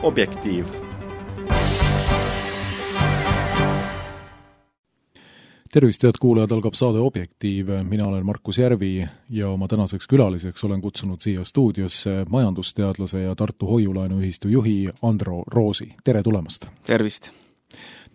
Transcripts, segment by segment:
Objektiiv. Tervist, head kuulajad, algab saade Objektiiv. Mina olen Markus Järvi ja oma tänaseks külaliseks olen kutsunud siia stuudiosse majandusteadlase ja Tartu Hoiulaenuühistu juhi Andro Roosi. Tere tulemast! Tervist!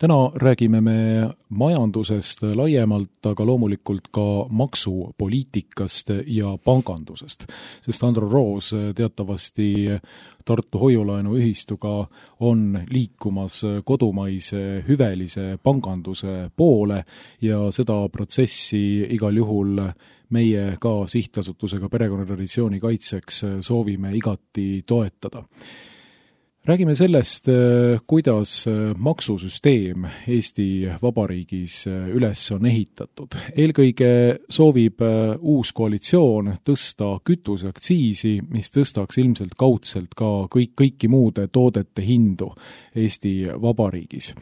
Täna räägime me majandusest laiemalt, aga loomulikult ka maksupoliitikast ja pangandusest, sest Andro Roos teatavasti Tartu Hoiulaenuühistuga on liikumas kodumaise hüvelise panganduse poole ja seda protsessi igal juhul meie ka sihtasutusega perekonnatraditsiooni kaitseks soovime igati toetada. Räägime sellest, kuidas maksusüsteem Eesti Vabariigis üles on ehitatud. Eelkõige soovib uus koalitsioon tõsta kütuseaktsiisi, mis tõstaks ilmselt kaudselt ka kõiki muude toodete hindu Eesti Vabariigis.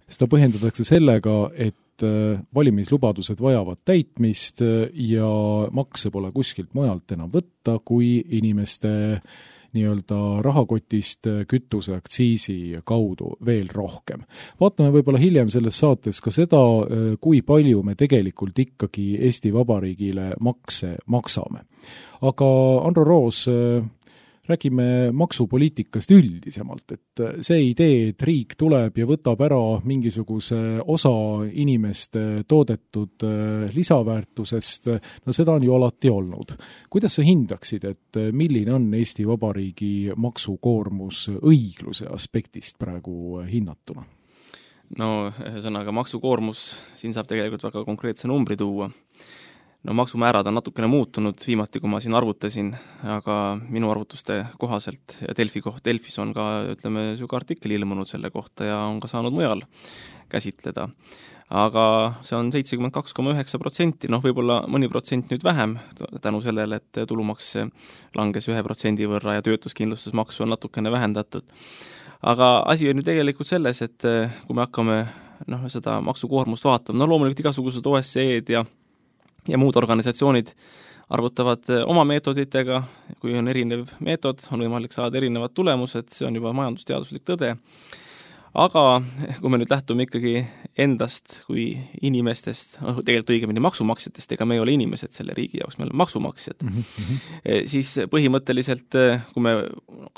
Seda põhjendatakse sellega, et valimislubadused vajavad täitmist ja makse pole kuskilt mujalt enam võtta, kui inimeste rahakotist kütuseaktsiisi kaudu veel rohkem. Vaatame võib-olla hiljem selles saates ka seda, kui palju me tegelikult ikkagi Eesti Vabariigile makse maksame. Aga Andro Roos, räägime maksupoliitikast üldisemalt, et see idee, et riik tuleb ja võtab ära mingisuguse osa inimeste toodetud lisaväärtusest, no seda on ju alati olnud. Kuidas sa hindaksid, et milline on Eesti Vabariigi maksukoormus õigluse aspektist praegu hinnatuna? No, ühesõnaga maksukoormus, siin saab tegelikult väga konkreetse numbri tuua. No maksumäärad on natukene muutunud viimati, kui ma siin arvutasin, aga minu arvutuste kohaselt ja Delfis on ka, süga artikkel ilmunud selle kohta ja on ka saanud mujal käsitleda. Aga see on 72,9%, võib-olla mõni protsent nüüd vähem tänu sellele, et tulumaks langes 1% võrra ja töötuskindlustusmaksu on natukene vähendatud. Aga asi on ju tegelikult selles, et kui me hakkame seda maksukoormust vaatama, loomulikult igasugused OSCE-d ja muud organisatsioonid arvutavad oma meetoditega, kui on erinev meetod, on võimalik saada erinevad tulemused, see on juba majandusteaduslik tõde. Aga kui me nüüd lähtume ikkagi endast kui inimestest, tegelikult õigemini maksumaksjatest, ega me ei ole inimesed selle riigi jaoks, me oleme maksumaksjad, siis põhimõtteliselt, kui me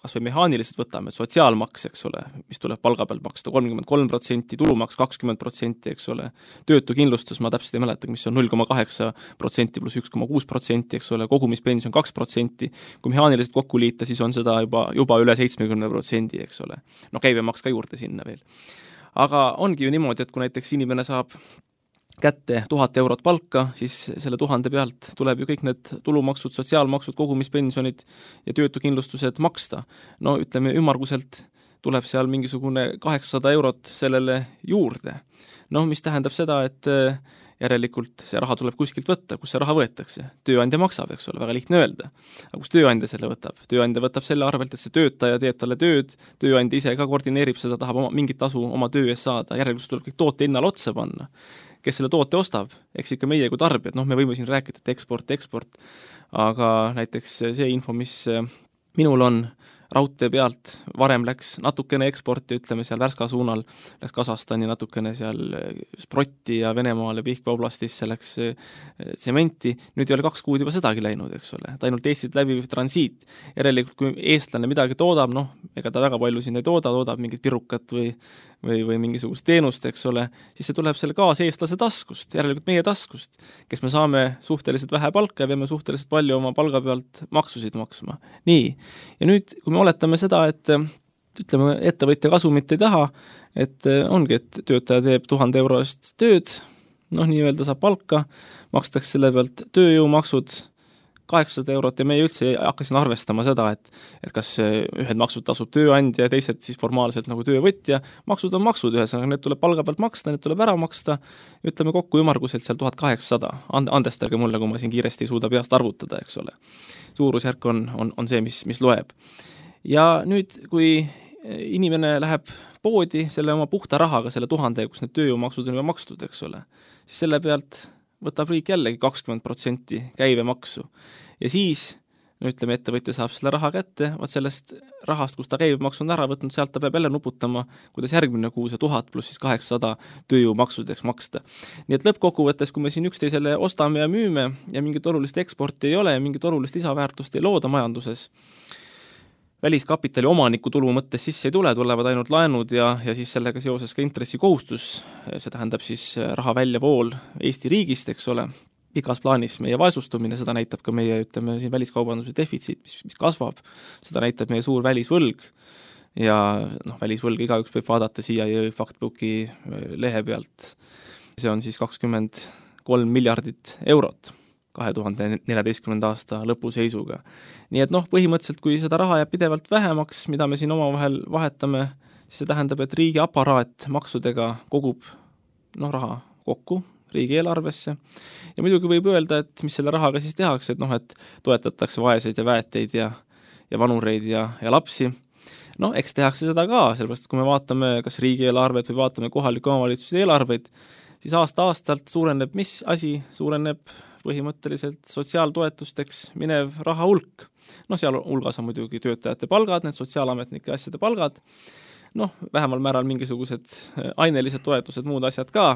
kas või mehaaniliselt võtame sotsiaalmaks, eks ole, mis tuleb palga pealt maksta 33%, tulumaks 20%, eks ole, töötukindlustus, ma täpselt ei mäleta, mis on 0,8% pluss 1,6%, eks ole, kogumispension 2%, kui mehaaniliselt kokku liita, siis on seda juba üle 70%, eks ole. Käibemaks ka juurde sinna veel. Aga ongi ju niimoodi, et kui näiteks inimene saab kätte 1000 eurot palka, siis selle 1000 pealt tuleb ju kõik need tulumaksud, sotsiaalmaksud, kogumispensionid ja töötukindlustused maksta. Ütleme ümmarguselt tuleb seal mingisugune 800 eurot sellele juurde. Mis tähendab seda, et järelikult see raha tuleb kuskilt võtta, kus see raha võetakse. Tööandja maksab, eks ole, väga lihtne öelda. Aga kus tööandja selle võtab? Tööandja võtab selle arvelt, et see töötaja teeb talle tööd, tööandja ise ka koordineerib seda, tahab mingit tasu oma töö eest saada, järelikult tuleb kõik toote hinnale otsa panna. Kes selle toote ostab? Eks ikka meie kui tarbijad, me võime siin rääkida, et eksport, aga näiteks see info, mis minul on raudtee pealt, varem läks natukene eksporti, seal Värska suunal, läks Kasahstani natukene seal Sprotti ja Venemaale Pihkva oblastisse läks tsementi, nüüd ei ole 2 kuud juba sedagi läinud, eks ole, ta ainult Eestit läbiv transiit. Järelikult, kui eestlane midagi toodab, ega ta väga palju siin ei toodab mingit pirukat või mingisugust teenust, eks ole, siis see tuleb selle kaaseestlase taskust, järelikult meie taskust, kes me saame suhteliselt vähe palka ja peame suhteliselt palju oma palga pealt maksusid maksma. Nii, ja nüüd, kui me oletame seda, et ettevõtja kasumit ei taha, et ongi, et töötaja teeb 1000 euro eest tööd, nii-öelda saab palka, makstakse selle pealt tööjõumaksud 800 eurot ja me üldse hakkasin arvestama seda, et kas ühed maksud tasub tööandja ja teised siis formaalselt nagu töövõtja. Maksud on maksud ühesõnaga, need tuleb palga pealt maksta, need tuleb ära maksta, ütleme kokku ümarguselt seal 1800. Andestage mulle, kui ma siin kiiresti ei suuda peast arvutada, eks ole. Suurusjärk on see, mis loeb. Ja nüüd, kui inimene läheb poodi selle oma puhta rahaga, selle 1000, kus need tööjõumaksud on juba makstud, eks ole, siis selle pealt võtab riik jällegi 20% käibemaksu. Ja siis ütleme, ettevõtja saab selle raha kätte, vaat sellest rahast, kus ta käibemaksu on ära võtnud, sealt ta peab jälle nuputama, kuidas järgmine kuu see 1000 pluss siis 800 tööjõumaksudeks maksta. Nii et lõppkokkuvõttes, kui me siin üksteisele ostame ja müüme ja mingit olulist eksporti ei ole ja mingit olulist lisaväärtust ei looda majanduses, väliskapitali omaniku tulu mõttes sisse ei tule, tulevad ainult laenud ja siis sellega seoses ka intressikohustus, see tähendab siis raha väljavool Eesti riigist, eks ole, pikas plaanis meie vaesustumine, seda näitab ka meie, ütleme, siin väliskaubanduse defitsiit, mis kasvab, seda näitab meie suur välisvõlg ja välisvõlg igaüks võib vaadata CIA Factbooki lehe pealt. See on siis 23 miljardit eurot 2014. aasta lõpuseisuga. Nii et põhimõtteliselt, kui seda raha jääb pidevalt vähemaks, mida me siin omavahel vahetame, siis see tähendab, et riigi aparaat maksudega kogub raha kokku riigieelarvesse ja muidugi võib öelda, et mis selle rahaga siis tehakse, et toetatakse vaeseid ja väeteid ja vanureid ja lapsi. Eks tehakse seda ka, sellepärast kui me vaatame kas riigieelarvet või vaatame kohaliku omavalitsuse eelarveid, siis aasta-aastalt suureneb mis asi? Suureneb põhimõtteliselt sotsiaaltoetusteks minev raha hulk. Seal hulgas on muidugi töötajate palgad, need sotsiaalametnike asjade palgad, vähemal määral mingisugused ainelised toetused, muud asjad ka,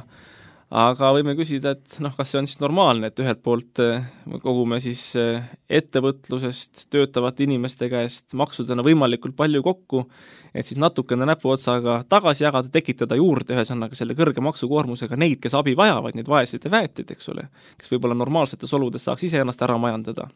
aga võime küsida, et kas see on siis normaalne, et ühelt poolt kogume siis ettevõtlusest töötavate inimeste käest maksudena võimalikult palju kokku, et siis natukene näpuotsaga tagasi jagada, tekitada juurde ühesõnaga selle kõrge maksukoormusega neid, kes abi vajavad, neid vaeseid ja väeteid, eks ole, kes võib-olla normaalsetes oludes saaks ise ennast ära majandada.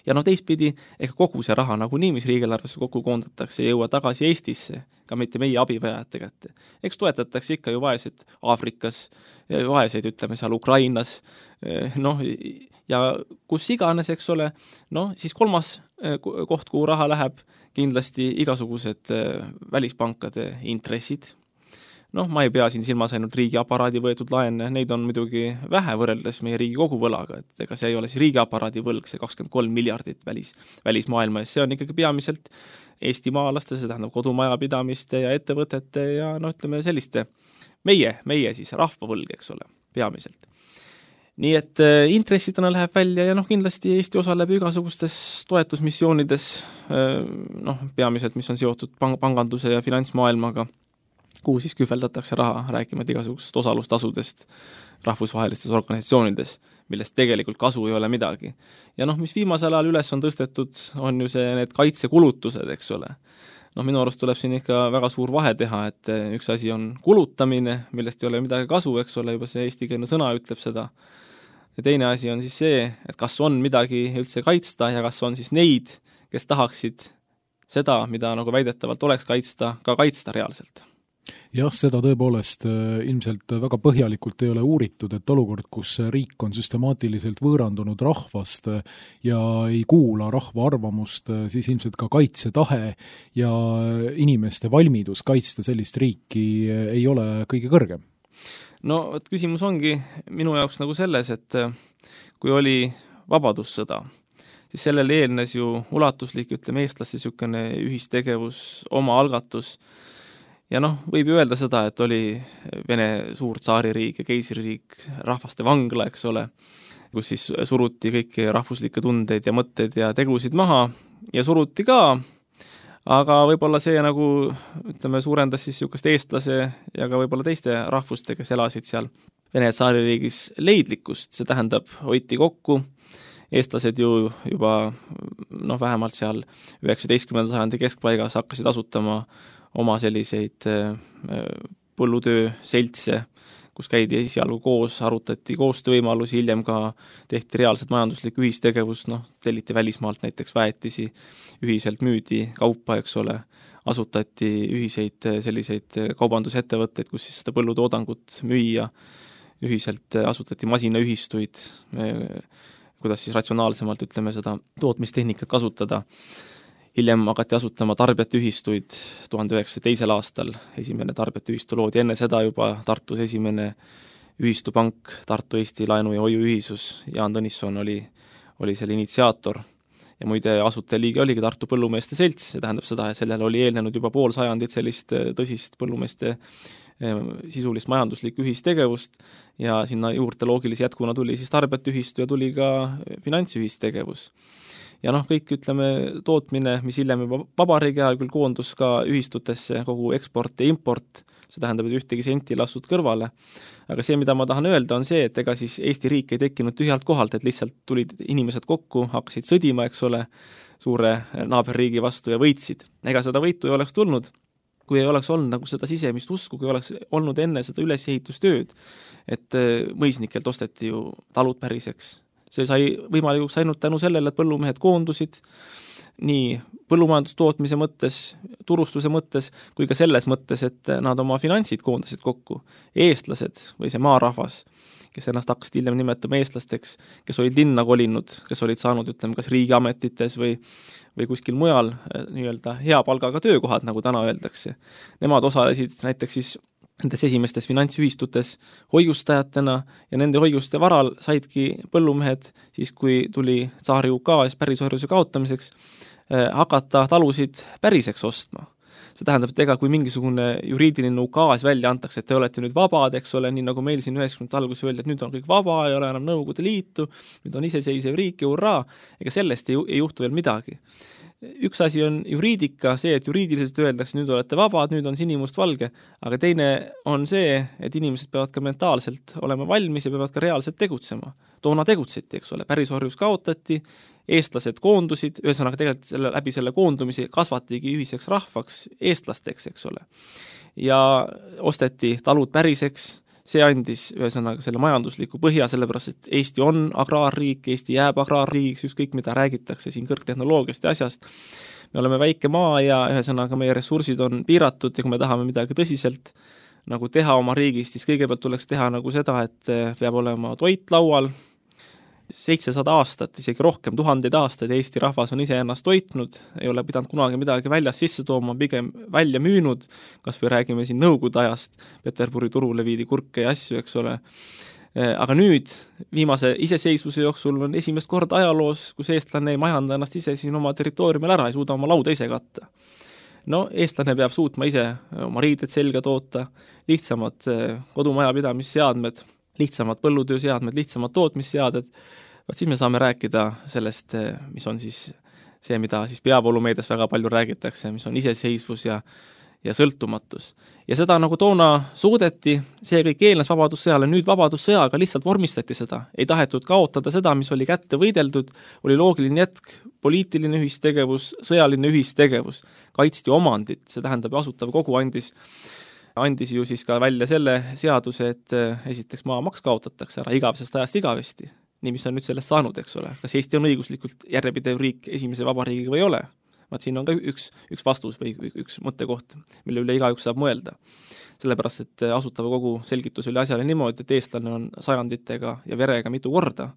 Ja teistpidi, ega kogu see raha nagunii, mis riigieelarvesse kokku koondatakse, jõua tagasi Eestisse, ka mitte meie abivajajate kätte. Eks toetatakse ikka ju vaeseid Aafrikas, vaeseid, ütleme seal Ukrainas, ja kus iganes, eks ole, siis kolmas koht, kuhu raha läheb, kindlasti igasugused välispankade intressid. Ma ei pea siin silmas ainult riigi aparaadi võetud laene, neid on muidugi vähe võrreldes meie riigi koguvõlaga, et ega see ei ole siis riigi aparaadi võlg, see 23 miljardit välismaailma ees, see on ikkagi peamiselt Eesti maalaste, see tähendab kodumajapidamiste ja ettevõtete ja ütleme selliste meie siis rahvavõlg, eks ole, peamiselt. Nii et intressidena läheb välja ja kindlasti Eesti osaleb igasugustes toetusmissioonides, peamiselt, mis on seotud panganduse ja finantsmaailmaga, kuhu siis kühveldatakse raha, rääkimata igasugusest osalustasudest rahvusvahelistes organisatsioonides, millest tegelikult kasu ei ole midagi. Ja mis viimasel ajal üles on tõstetud, on ju need kaitsekulutused, eks ole. Minu arust tuleb siin ikka väga suur vahe teha, et üks asi on kulutamine, millest ei ole midagi kasu, eks ole, juba see eestikeelne sõna ütleb seda. Ja teine asi on siis see, et kas on midagi üldse kaitsta ja kas on siis neid, kes tahaksid seda, mida väidetavalt oleks kaitsta, ka kaitsta reaalselt. Jah, seda tõepoolest ilmselt väga põhjalikult ei ole uuritud, et olukord, kus riik on süstemaatiliselt võõrandunud rahvast ja ei kuula rahva arvamust, siis ilmselt ka kaitsetahe ja inimeste valmidus kaitsta sellist riiki ei ole kõige kõrgem. Küsimus ongi minu jaoks selles, et kui oli vabadussõda, siis sellele eelnes ju ulatuslik, ütleme, eestlaste niisugune ühistegevus, oma algatus. Ja võib ju öelda seda, et oli Vene suur tsaaririik ja keisririik, rahvaste vangla, eks ole, kus siis suruti kõiki rahvuslikke tundeid ja mõtteid ja tegusid maha ja suruti ka, aga võib-olla see ütleme, suurendas siis niisugust eestlase ja ka võib-olla teiste rahvuste, kes elasid seal Vene tsaaririigis leidlikkust, see tähendab, hoiti kokku, eestlased ju juba vähemalt seal 19. sajandi keskpaigas hakkasid asutama oma selliseid põllutöö seltse, kus käidi esialgu koos, arutati koostöövõimalusi, hiljem ka tehti reaalselt majanduslik ühistegevus, telliti välismaalt näiteks väetisi, ühiselt müüdi kaupa, eks ole, asutati ühiseid selliseid kaubandusettevõtteid, kus siis seda põllutoodangut müüa, ühiselt asutati masinaühistuid, kuidas siis ratsionaalsemalt, ütleme, seda tootmistehnikat kasutada. Hiljem hakati asutama tarbijate ühistuid 1902. aastal, esimene tarbijate ühistu loodi, enne seda juba Tartus esimene ühistupank, Tartu Eesti Laenu- ja Hoiuühisus, Jaan Tõnisson oli selle initsiaator ja muide asutajaliige oligi Tartu põllumeeste selts, see tähendab seda, et sellele oli eelnenud juba pool sajandit sellist tõsist põllumeeste sisulist majanduslikku ühistegevust ja sinna juurde loogilise jätkuna tuli siis tarbijate ühistu ja tuli ka finantsühistegevus. Ja kõik, ütleme, tootmine, mis hiljem juba vabariigi ajal küll koondus ka ühistutesse, kogu eksport ja import, see tähendab, et ühtegi senti lastud kõrvale. Aga see, mida ma tahan öelda, on see, et ega siis Eesti riik ei tekkinud tühjalt kohalt, et lihtsalt tulid inimesed kokku, hakkasid sõdima, eks ole, suure naaberriigi vastu ja võitsid. Ega seda võitu ei oleks tulnud, kui ei oleks olnud nagu seda sisemist usku, kui oleks olnud enne seda ülesehitustööd, et mõisnikelt osteti ju talud päriseks. See sai võimalikuks ainult tänu sellele, et põllumehed koondusid nii põllumajandustootmise mõttes, turustuse mõttes, kui ka selles mõttes, et nad oma finantsid koondasid kokku. Eestlased või see maarahvas, kes ennast hakkasid hiljem nimetama eestlasteks, kes olid linna kolinud, kes olid saanud, ütleme, kas riigiametites või kuskil mujal nii-öelda hea palgaga töökohad, nagu täna öeldakse. Nemad osalesid näiteks siis nendes esimestes finantsühistutes hoiustajatena ja nende hoiuste varal saidki põllumehed, siis kui tuli tsaari ukaas pärisorjuse kaotamiseks, hakata talusid päriseks ostma. See tähendab, et ega kui mingisugune juriidiline ukaas välja antakse, et te olete nüüd vabad, eks ole, nii nagu meil siin 90. alguses öeldi, et nüüd on kõik vaba, ei ole enam Nõukogude Liitu, nüüd on iseseisev riik ja hurraa, ega sellest ei juhtu veel midagi. Üks asi on juriidika, see, et juriidiliselt öeldakse, nüüd olete vabad, nüüd on sinimustvalge, aga teine on see, et inimesed peavad ka mentaalselt olema valmis ja peavad ka reaalselt tegutsema. Toona tegutseti, eks ole, pärisorjus kaotati, eestlased koondusid, ühesõnaga tegelikult läbi selle koondumise kasvatigi ühiseks rahvaks, eestlasteks, eks ole. Ja osteti talud päriseks, see andis ühesõnaga selle majandusliku põhja, sellepärast, et Eesti on agraarriik, Eesti jääb agraarriigiks, ükskõik mida räägitakse siin kõrgtehnoloogiast ja asjast. Me oleme väike maa ja ühesõnaga meie ressursid on piiratud ja kui me tahame midagi tõsiselt nagu teha oma riigis, siis kõigepealt tuleks teha nagu seda, et peab olema toit laual, 700 aastat, isegi rohkem, 1000 aastaid Eesti rahvas on ise ennast toitnud, ei ole pidanud kunagi midagi väljas sisse tooma, pigem välja müünud, kas või räägime siin Nõukogude ajast, Peterburi turule viidi kurke ja asju, eks ole. Aga nüüd, viimase iseseisvuse jooksul on esimest korda ajaloos, kus eestlane ei majanda ennast ise siin oma territooriumil ära, ei suuda oma lauda ise katta. Eestlane peab suutma ise oma riided selga toota, lihtsamad kodumajapidamisseadmed, lihtsamad põllutööseadmed, lihtsamad tootmisseaded, siis me saame rääkida sellest, mis on siis see, mida siis peavoolumeedias väga palju räägitakse, mis on iseseisvus ja sõltumatus. Ja seda nagu toona suudeti, see kõik eelnes vabadussõjale, nüüd vabadussõjaga lihtsalt vormistati seda. Ei tahetud kaotada seda, mis oli kätte võideldud, oli loogiline jätk, poliitiline ühistegevus, sõjaline ühistegevus, kaitsti omandit, see tähendab Asutav Kogu andis ju siis ka välja selle seaduse, et esiteks maamaks kaotatakse ära igavesest ajast igavesti. Nii, mis on nüüd sellest saanud, eks ole. Kas Eesti on õiguslikult järjepidev riik esimese vabariigiga või ei ole? Siin on ka üks vastus või üks mõttekoht, mille üle igaüks saab mõelda. Sellepärast, et Asutava Kogu selgitus oli asjale niimoodi, et eestlane on sajanditega ja verega mitu korda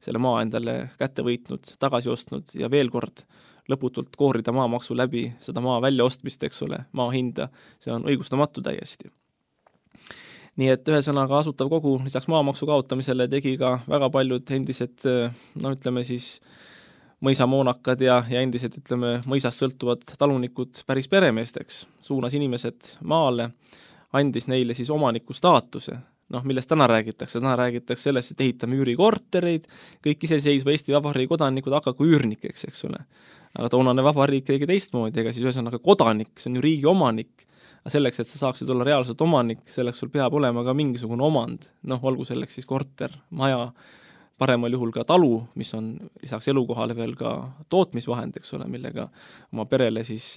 selle maa endale kätte võitnud, tagasi ostnud ja veel kord lõputult koorida maamaksu läbi seda maa väljaostmist, eks ole, maa hinda, see on õigustamatu täiesti. Nii et ühesõnaga Asutav Kogu lisaks maamaksu kaotamisele tegi ka väga paljud endised, ütleme siis mõisamoonakad ja endised, ütleme, mõisast sõltuvad talunikud päris peremeesteks, suunas inimesed maale, andis neile siis omaniku staatuse. Millest täna räägitakse sellest, et ehitame üürikortereid, kõik iseseisva Eesti Vabariigi kodanikud hakaku üürnikeks, eks ole. Aga toonane vabariik tegi teistmoodi, ega siis ühesõnaga kodanik, see on ju riigi omanik, aga selleks, et sa saaksid olla reaalselt omanik, selleks sul peab olema ka mingisugune omand, olgu selleks siis korter, maja, paremal juhul ka talu, mis on lisaks elukohale veel ka tootmisvahend, eks ole, millega oma perele siis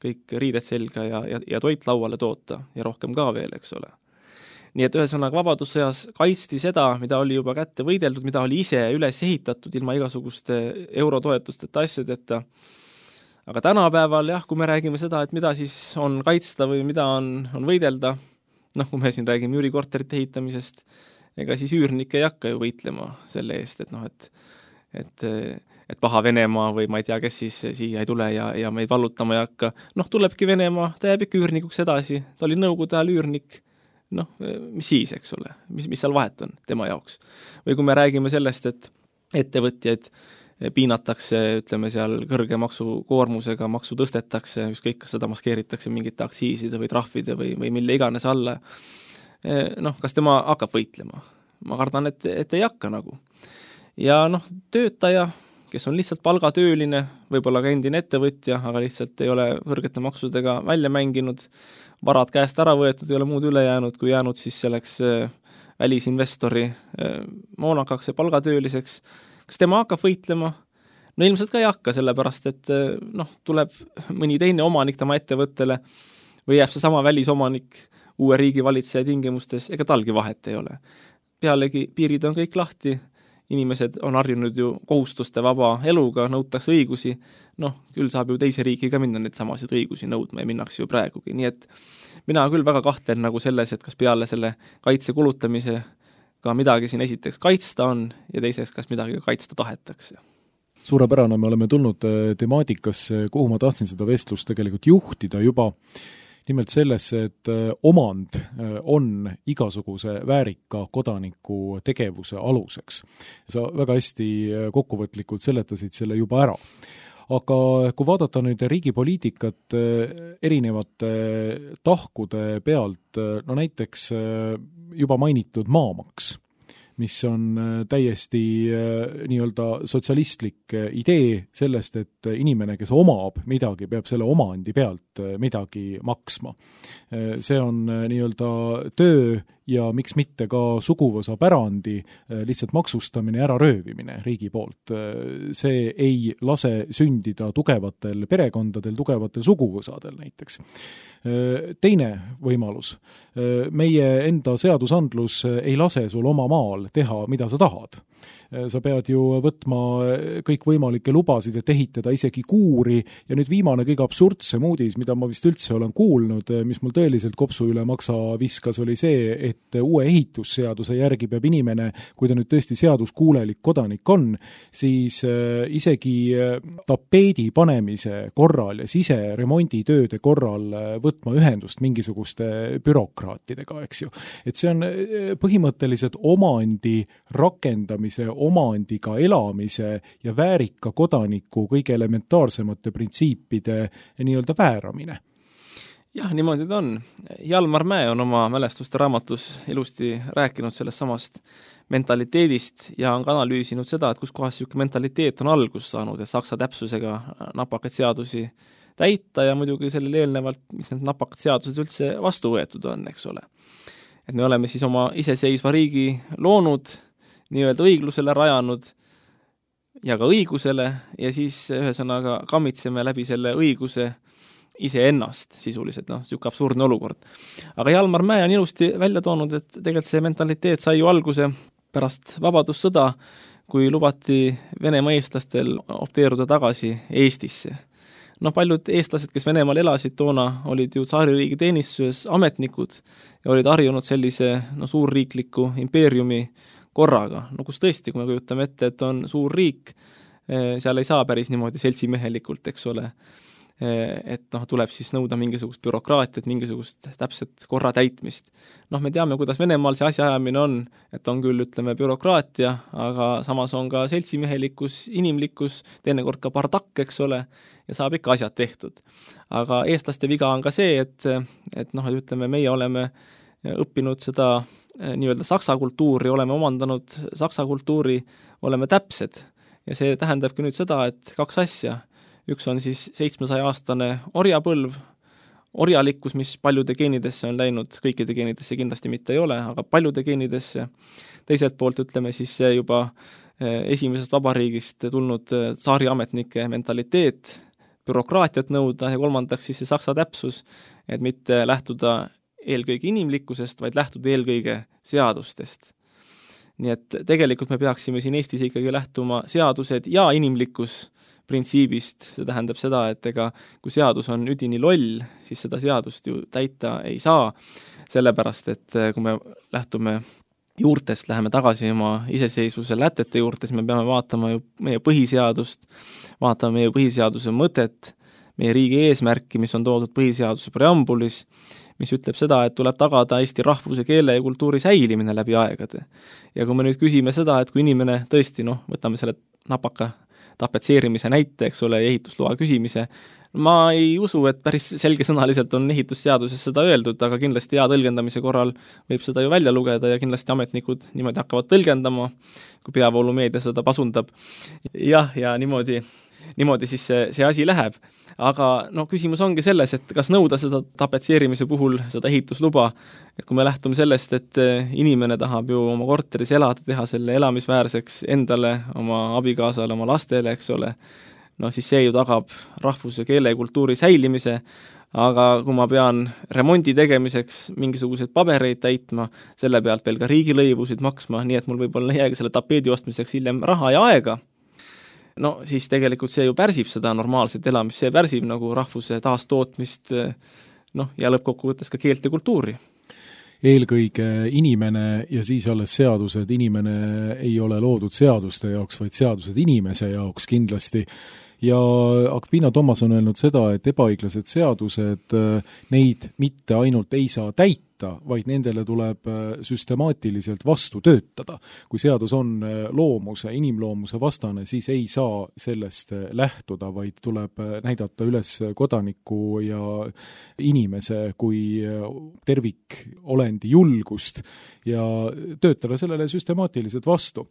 kõik riided selga ja toit lauale toota ja rohkem ka veel, eks ole. Nii et ühesõnaga vabadussõjas kaitsti seda, mida oli juba kätte võideldud, mida oli ise üles ehitatud ilma igasuguste eurotoetusteta asjadeta. Aga tänapäeval kui me räägime seda, et mida siis on kaitsta või mida on võidelda, kui me siin räägime üürikorterite ehitamisest, ega siis üürnik ei hakka ju võitlema selle eest, et paha Venemaa või ma ei tea, kes siis siia ei tule ja meid vallutama ei hakka. Tulebki Venemaa, ta jääb ikka üürnikuks edasi, ta oli Nõukogude ajal üürnik, mis siis, eks ole, mis seal vahet on tema jaoks. Või kui me räägime sellest, et ettevõtjaid piinatakse, ütleme seal kõrge maksukoormusega, maksu tõstetakse, ükskõik kas seda maskeeritakse mingite aktsiiside või trahvide või mille iganes alla. Kas tema hakkab võitlema? Ma kardan, et ei hakka nagu. Ja töötaja, kes on lihtsalt palgatööline, võib-olla ka endine ettevõtja, aga lihtsalt ei ole kõrgete maksudega välja mänginud, varad käest ära võetud, ei ole muud üle jäänud, kui jäänud siis selleks välisinvestori moonakaks ja palgatööliseks. Kas tema hakkab võitlema? Ilmselt ka ei hakka, sellepärast, et tuleb mõni teine omanik tema ettevõttele või jääb see sama välisomanik uue riigi valitseja tingimustes, ega talgi vahet ei ole. Pealegi piirid on kõik lahti, inimesed on harjunud ju kohustuste vaba eluga, nõutakse õigusi, küll saab ju teise riigi ka minna neid samasid õigusi nõudma ja minnakse ju praegugi, nii et mina küll väga kahtlen nagu selles, et kas peale selle kaitse kulutamise ka midagi siin esiteks kaitsta on ja teiseks, kas midagi kaitsta tahetakse. Suurepärane, me oleme tulnud temaatikasse, kuhu ma tahtsin seda vestlust tegelikult juhtida juba, nimelt sellesse, et omand on igasuguse väärika kodaniku tegevuse aluseks. Sa väga hästi kokkuvõtlikult seletasid selle juba ära. Aga kui vaadata nüüd riigi poliitikat erinevate tahkude pealt, näiteks juba mainitud maamaks, mis on täiesti nii-öelda sotsialistlik idee sellest, et inimene, kes omab midagi, peab selle omandi pealt midagi maksma. See on nii-öelda töö ja miks mitte ka suguvõsa pärandi lihtsalt maksustamine ja äraröövimine riigi poolt. See ei lase sündida tugevatel perekondadel, tugevatel suguvõsadel näiteks. Teine võimalus. Meie enda seadusandlus ei lase sul oma maal teha, mida sa tahad. Sa pead ju võtma kõikvõimalikke lubasid, et ehitada isegi kuuri ja nüüd viimane kõige absurdsem uudis, mida ma vist üldse olen kuulnud, mis mul tõeliselt kopsu üle maksa viskas, oli see, et uue ehitusseaduse järgi peab inimene, kui ta nüüd tõesti seaduskuulelik kodanik on, siis isegi tapeedi panemise korral ja siseremonditööde korral võtma ühendust mingisuguste bürokraatidega, eks ju. Et see on põhimõtteliselt omandi rakendamise, omandiga elamise ja väärika kodaniku kõige elementaarsemate printsiipide nii-öelda vääramine. Jah, niimoodi ta on. Jalmar Mäe on oma mälestuste raamatus ilusti rääkinud sellest samast mentaliteedist ja on ka analüüsinud seda, et kus kohas selline mentaliteet on algust saanud, et saksa täpsusega napakaid seadusi täita ja muidugi sellele eelnevalt, miks need napakad seadused üldse vastu võetud on, eks ole. Et me oleme siis oma iseseisva riigi loonud, nii-öelda õiglusele rajanud ja ka õigusele ja siis ühesõnaga kammitseme läbi selle õiguse iseennast sisuliselt, selline absurdne olukord. Aga Jalmar Mäe on ilusti välja toonud, et tegelikult see mentaliteet sai ju alguse pärast vabadussõda, kui lubati Venemaa eestlastel opteeruda tagasi Eestisse. Paljud eestlased, kes Venemaal elasid toona, olid ju tsaaririigi teenistuses ametnikud ja olid harjunud sellise suurriikliku impeeriumi korraga. Kus tõesti, kui me kujutame ette, et on suur riik, seal ei saa päris niimoodi seltsimehelikult, eks ole. Et tuleb siis nõuda mingisugust bürokraatiat, mingisugust täpset korra täitmist. Me teame, kuidas Venemaal see asjaajamine on, et on küll, ütleme, bürokraatia, aga samas on ka seltsimehelikkus, inimlikkus, teinekord ka bardakk, eks ole, ja saab ikka asjad tehtud. Aga eestlaste viga on ka see, et ütleme, meie oleme õppinud seda nii-öelda saksa kultuuri, oleme omandanud saksa kultuuri, oleme täpsed. Ja see tähendabki nüüd seda, et kaks asja. Üks on siis 700-aastane orjapõlv, orjalikkus, mis paljude geenidesse on läinud, kõikide geenidesse kindlasti mitte ei ole, aga paljude geenidesse. Teiselt poolt ütleme siis see juba esimesest vabariigist tulnud tsaariametnike mentaliteet, bürokraatiat nõuda ja kolmandaks siis see saksa täpsus, et mitte lähtuda eelkõige inimlikkusest, vaid lähtuda eelkõige seadustest. Nii et tegelikult me peaksime siin Eestis ikkagi lähtuma seadused ja inimlikkus printsiibist, see tähendab seda, et kui seadus on üdini loll, siis seda seadust ju täita ei saa, sellepärast, et kui me lähtume juurtest, läheme tagasi oma iseseisvuse lätete juurtes, me peame vaatama ju meie põhiseadust, vaatame meie põhiseaduse mõtet, meie riigi eesmärki, mis on toodud põhiseaduse preambulis, mis ütleb seda, et tuleb tagada Eesti rahvuse, keele ja kultuuri säilimine läbi aegade. Ja kui me nüüd küsime seda, et kui inimene tõesti, võtame selle napaka tapetseerimise näite, eks ole, ehitusloa küsimise. Ma ei usu, et päris selgesõnaliselt on ehitusseaduses seda öeldud, aga kindlasti hea tõlgendamise korral võib seda ju välja lugeda ja kindlasti ametnikud niimoodi hakkavad tõlgendama, kui peavoolumeedia seda pasundab. Jah, ja niimoodi siis see asi läheb. Aga küsimus ongi selles, et kas nõuda seda tapetseerimise puhul seda ehitusluba, et kui me lähtume sellest, et inimene tahab ju oma korteris elada, teha selle elamisväärseks endale, oma abikaasale, oma lastele, eks ole, siis see ju tagab rahvuse, keele ja kultuuri säilimise, aga kui ma pean remondi tegemiseks mingisuguseid pabereid täitma, selle pealt veel ka riigilõivusid maksma, nii et mul võib-olla ei jäägi selle tapeedi ostmiseks hiljem raha ja aega, siis tegelikult see ju pärsib seda normaalset elamist, see pärsib nagu rahvuse taastootmist, ja lõppkokkuvõttes ka keelt ja kultuuri. Eelkõige inimene ja siis alles seadused, inimene ei ole loodud seaduste jaoks, vaid seadused inimese jaoks kindlasti. Ja Akvina Tomas on öelnud seda, et ebaõiglased seadused, neid mitte ainult ei saa täita, vaid nendele tuleb süstemaatiliselt vastu töötada. Kui seadus on loomuse, inimloomuse vastane, siis ei saa sellest lähtuda, vaid tuleb näidata üles kodaniku ja inimese kui tervikolendi julgust ja töötada sellele süstemaatiliselt vastu.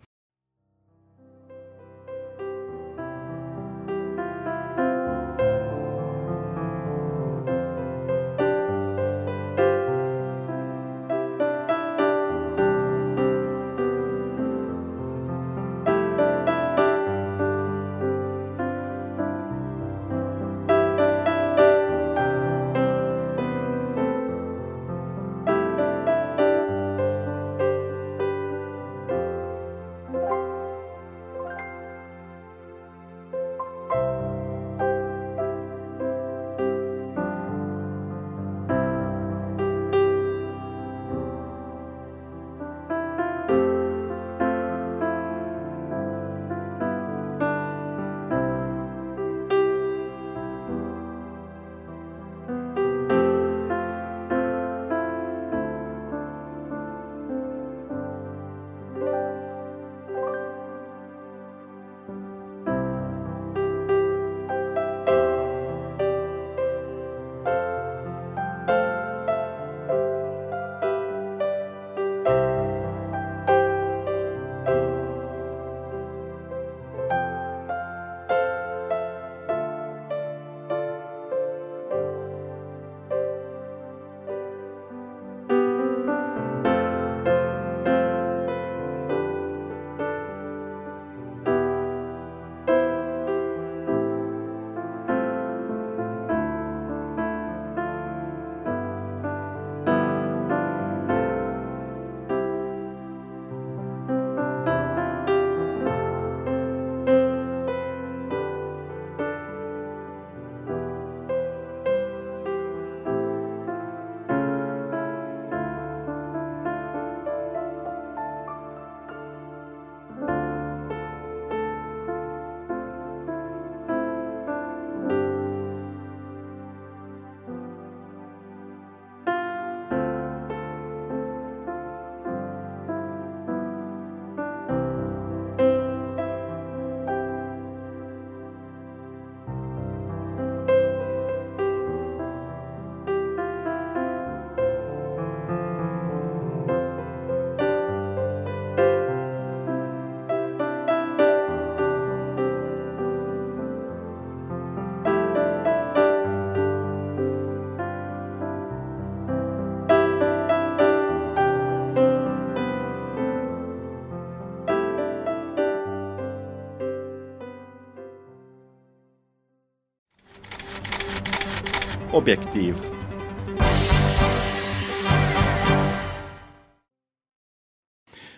Objektiiv.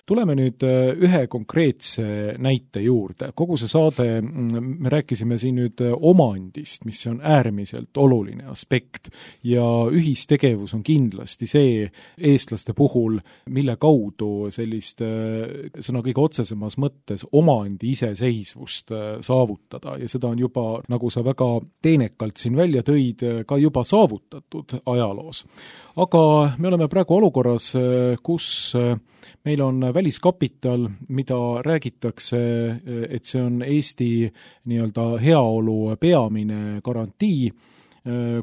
Tuleme nüüd ühe konkreetse näite juurde. Kogu see saade, me rääkisime siin nüüd omandist, mis on äärmiselt oluline aspekt ja ühistegevus on kindlasti see eestlaste puhul, mille kaudu sellist sõna kõige otsesemas mõttes omandi iseseisvust saavutada ja seda on juba, nagu sa väga teenekalt siin välja tõid, ka juba saavutatud ajaloos. Aga me oleme praegu olukorras, kus meil on väliskapital, mida räägitakse, et see on Eesti nii-öelda heaolu peamine garantii,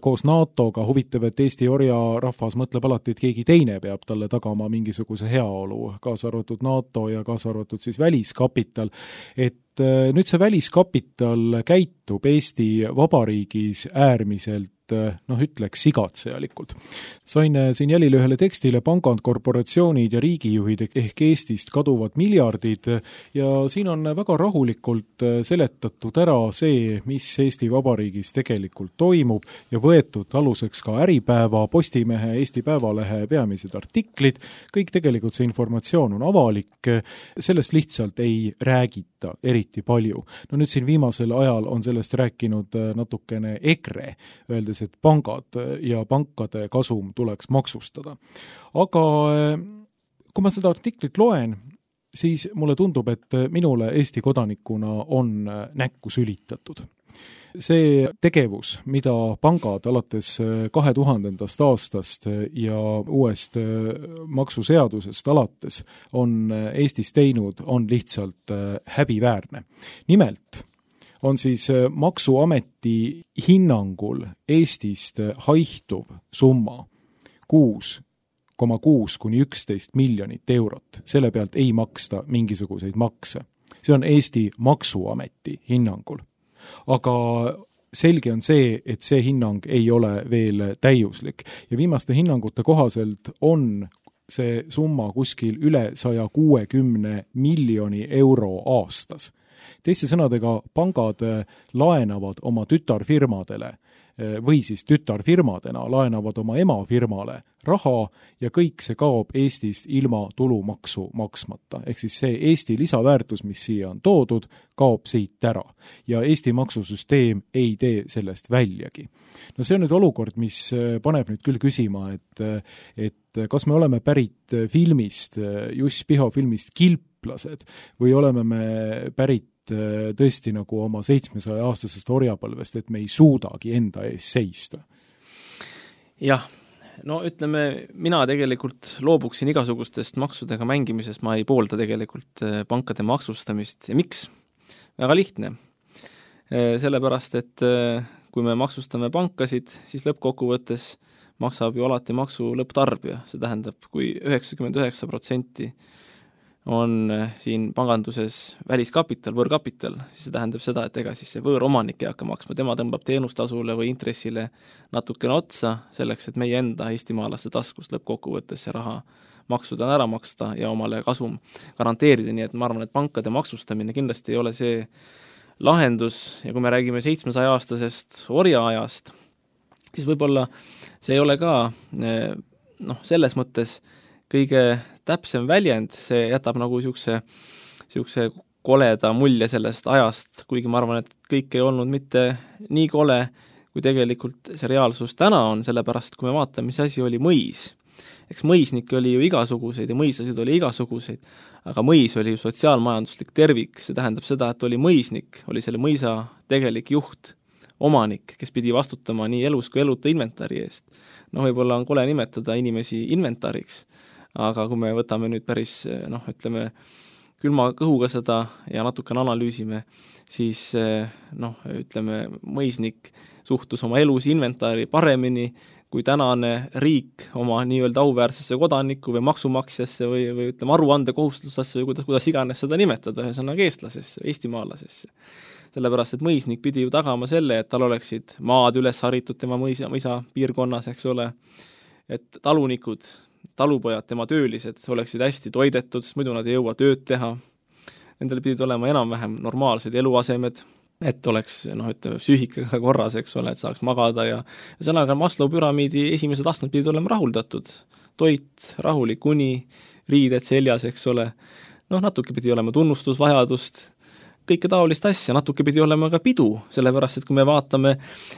koos NATO-ga. Huvitav, et Eesti orjarahvas mõtleb alati, et keegi teine peab talle tagama mingisuguse heaolu, kaasa arvatud NATO ja kaasa arvatud siis väliskapital. Et nüüd see väliskapital käitub Eesti Vabariigis äärmiselt ütleks sigatsejalikult. Sain siin jälile ühele tekstile pangad, korporatsioonid ja riigijuhid ehk Eestist kaduvad miljardid ja siin on väga rahulikult seletatud ära see, mis Eesti Vabariigis tegelikult toimub ja võetud aluseks ka Äripäeva, Postimehe, Eesti Päevalehe peamised artiklid. Kõik tegelikult see informatsioon on avalik, sellest lihtsalt ei räägita eriti palju. No nüüd siin viimasel ajal on sellest rääkinud natukene EKRE, öeldes, et pangad ja pankade kasum tuleks maksustada. Aga kui ma seda artiklit loen, siis mulle tundub, et minule Eesti kodanikuna on näkku sülitatud. See tegevus, mida pangad alates 2000. aastast ja uuest maksuseadusest alates on Eestis teinud, on lihtsalt häbiväärne. Nimelt on siis Maksuameti hinnangul Eestist haihtuv summa 6,6 kuni 11 miljonit eurot. Selle pealt ei maksta mingisuguseid makse. See on Eesti Maksuameti hinnangul. Aga selge on see, et see hinnang ei ole veel täiuslik. Ja viimaste hinnangute kohaselt on see summa kuskil üle 160 miljoni euro aastas. Teiste sõnadega, pangad laenavad oma tütarfirmadele või siis tütarfirmadena laenavad oma emafirmale raha ja kõik see kaob Eestist ilma tulumaksu maksmata. Ehk siis see Eesti lisaväärtus, mis siia on toodud, kaob siit ära. Ja Eesti maksusüsteem ei tee sellest väljagi. No see on nüüd olukord, mis paneb nüüd küll küsima, et kas me oleme pärit filmist, Juss Piho filmist Kilplased või oleme me pärit tõesti nagu oma 700-aastasest orjapõlvest, et me ei suudagi enda ees seista. Jah, no ütleme, mina tegelikult loobuksin igasugustest maksudega mängimisest, ma ei poolda tegelikult pankade maksustamist. Ja miks? Väga lihtne. Sellepärast, et kui me maksustame pankasid, siis lõppkokkuvõttes maksab ju alati maksu lõpptarbija. See tähendab, kui 99% on siin panganduses väliskapital, võõrkapital, siis see tähendab seda, et ega siis see võõromanik ei hakka maksma, tema tõmbab teenustasule või intressile natukene otsa selleks, et meie enda eestimaalaste taskust lõppkokkuvõttes see raha maksudena ära maksta ja omale kasum garanteerida, nii et ma arvan, et pankade maksustamine kindlasti ei ole see lahendus ja kui me räägime 700-aastasest orjaajast, siis võib-olla see ei ole ka selles mõttes kõige täpsem väljend, see jätab nagu siukse koleda mulje sellest ajast, kuigi ma arvan, et kõik ei olnud mitte nii kole, kui tegelikult see reaalsus täna on, sellepärast kui me vaatame, mis asi oli mõis. Eks mõisnikke oli ju igasuguseid ja mõisasid oli igasuguseid, aga mõis oli ju sotsiaalmajanduslik tervik, see tähendab seda, et oli mõisnik, oli selle mõisa tegelik juht, omanik, kes pidi vastutama nii elus kui eluta inventari eest. No võib-olla on kole nimetada inimesi inventariks, aga kui me võtame nüüd päris, ütleme, külma kõhuga seda ja natukene analüüsime, siis ütleme, mõisnik suhtus oma elus inventari paremini kui tänane riik oma nii-öelda auväärsesse kodaniku või maksumaksjasse või ütleme, aruandekohustusesse või kuidas iganes seda nimetada, ühesõnaga eestlasesse, eestimaalasesse. Sellepärast, et mõisnik pidi ju tagama selle, et tal oleksid maad üles haritud tema mõisa piirkonnas, eks ole, et talunikud, talupojad, tema töölised oleksid hästi toidetud, sest muidu nad ei jõua tööd teha. Nendel pidid olema enam-vähem normaalsed eluasemed, et oleks, ütleme, psüühikaga korras, eks ole, et saaks magada ja sõnaga Maslow püramiidi esimesed astmed pidid olema rahuldatud. Toit, rahulik uni, riided seljas, eks ole. Natuke pidi olema tunnustusvajadust, kõike taolist asja, natuke pidi olema ka pidu, sellepärast, et kui me vaatame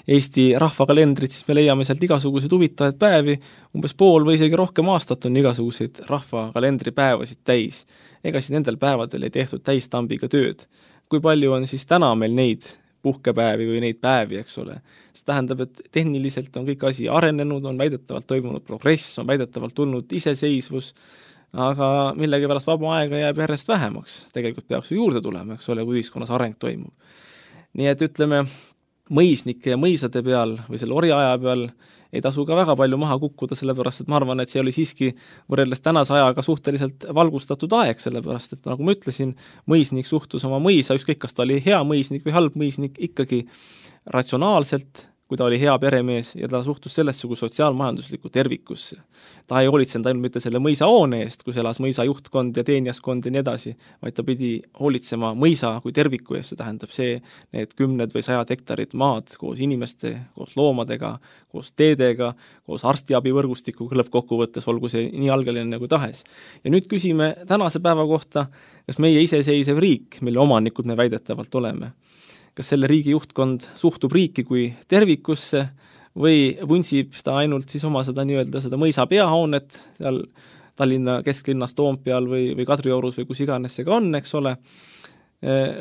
Eesti rahvakalendrit, siis me leiame sealt igasuguseid huvitavaid päevi, umbes pool või isegi rohkem aastat on igasuguseid rahvakalendri päevasid täis. Ega siis nendel päevadel ei tehtud täistambiga tööd. Kui palju on siis täna meil neid puhkepäevi või neid päevi, eks ole. See tähendab, et tehniliselt on kõik asi arenenud, on väidetavalt toimunud progress, on väidetavalt tulnud iseseisvus, aga millegipärast vaba aega jääb järjest vähemaks. Tegelikult peaks ju juurde tulema, eks ole, kui ühiskonnas areng toimub. Nii et ütleme, mõisnike ja mõisade peal või selle orjaaja peal ei tasu ka väga palju maha kukkuda, sellepärast et ma arvan, et see oli siiski võrreldes tänase ajaga suhteliselt valgustatud aeg, sellepärast et nagu ma ütlesin, mõisnik suhtus oma mõisa, ükskõik kas ta oli hea mõisnik või halb mõisnik, ikkagi ratsionaalselt, kui ta oli hea peremees ja ta suhtus sellesse kui sotsiaalmajanduslikku tervikusse. Ta ei hoolitsenud ainult mitte selle mõisa hoone eest, kus elas mõisa juhtkond ja teenijaskond ja nii edasi, vaid ta pidi hoolitsema mõisa kui terviku eest, see tähendab need 10 või 100 hektarid maad koos inimeste, koos loomadega, koos teedega, koos arstiabivõrgustikuga lõppkokkuvõttes, olgu see nii algeline nagu tahes. Ja nüüd küsime tänase päeva kohta, kas meie iseseisev riik, mille omanikud me väidetavalt oleme, kas selle riigi juhtkond suhtub riiki kui tervikusse või vuntsib ta ainult siis oma seda mõisa peahoonet seal Tallinna kesklinnas Toompeal või Kadriorus või kus iganes see ka on, eks ole,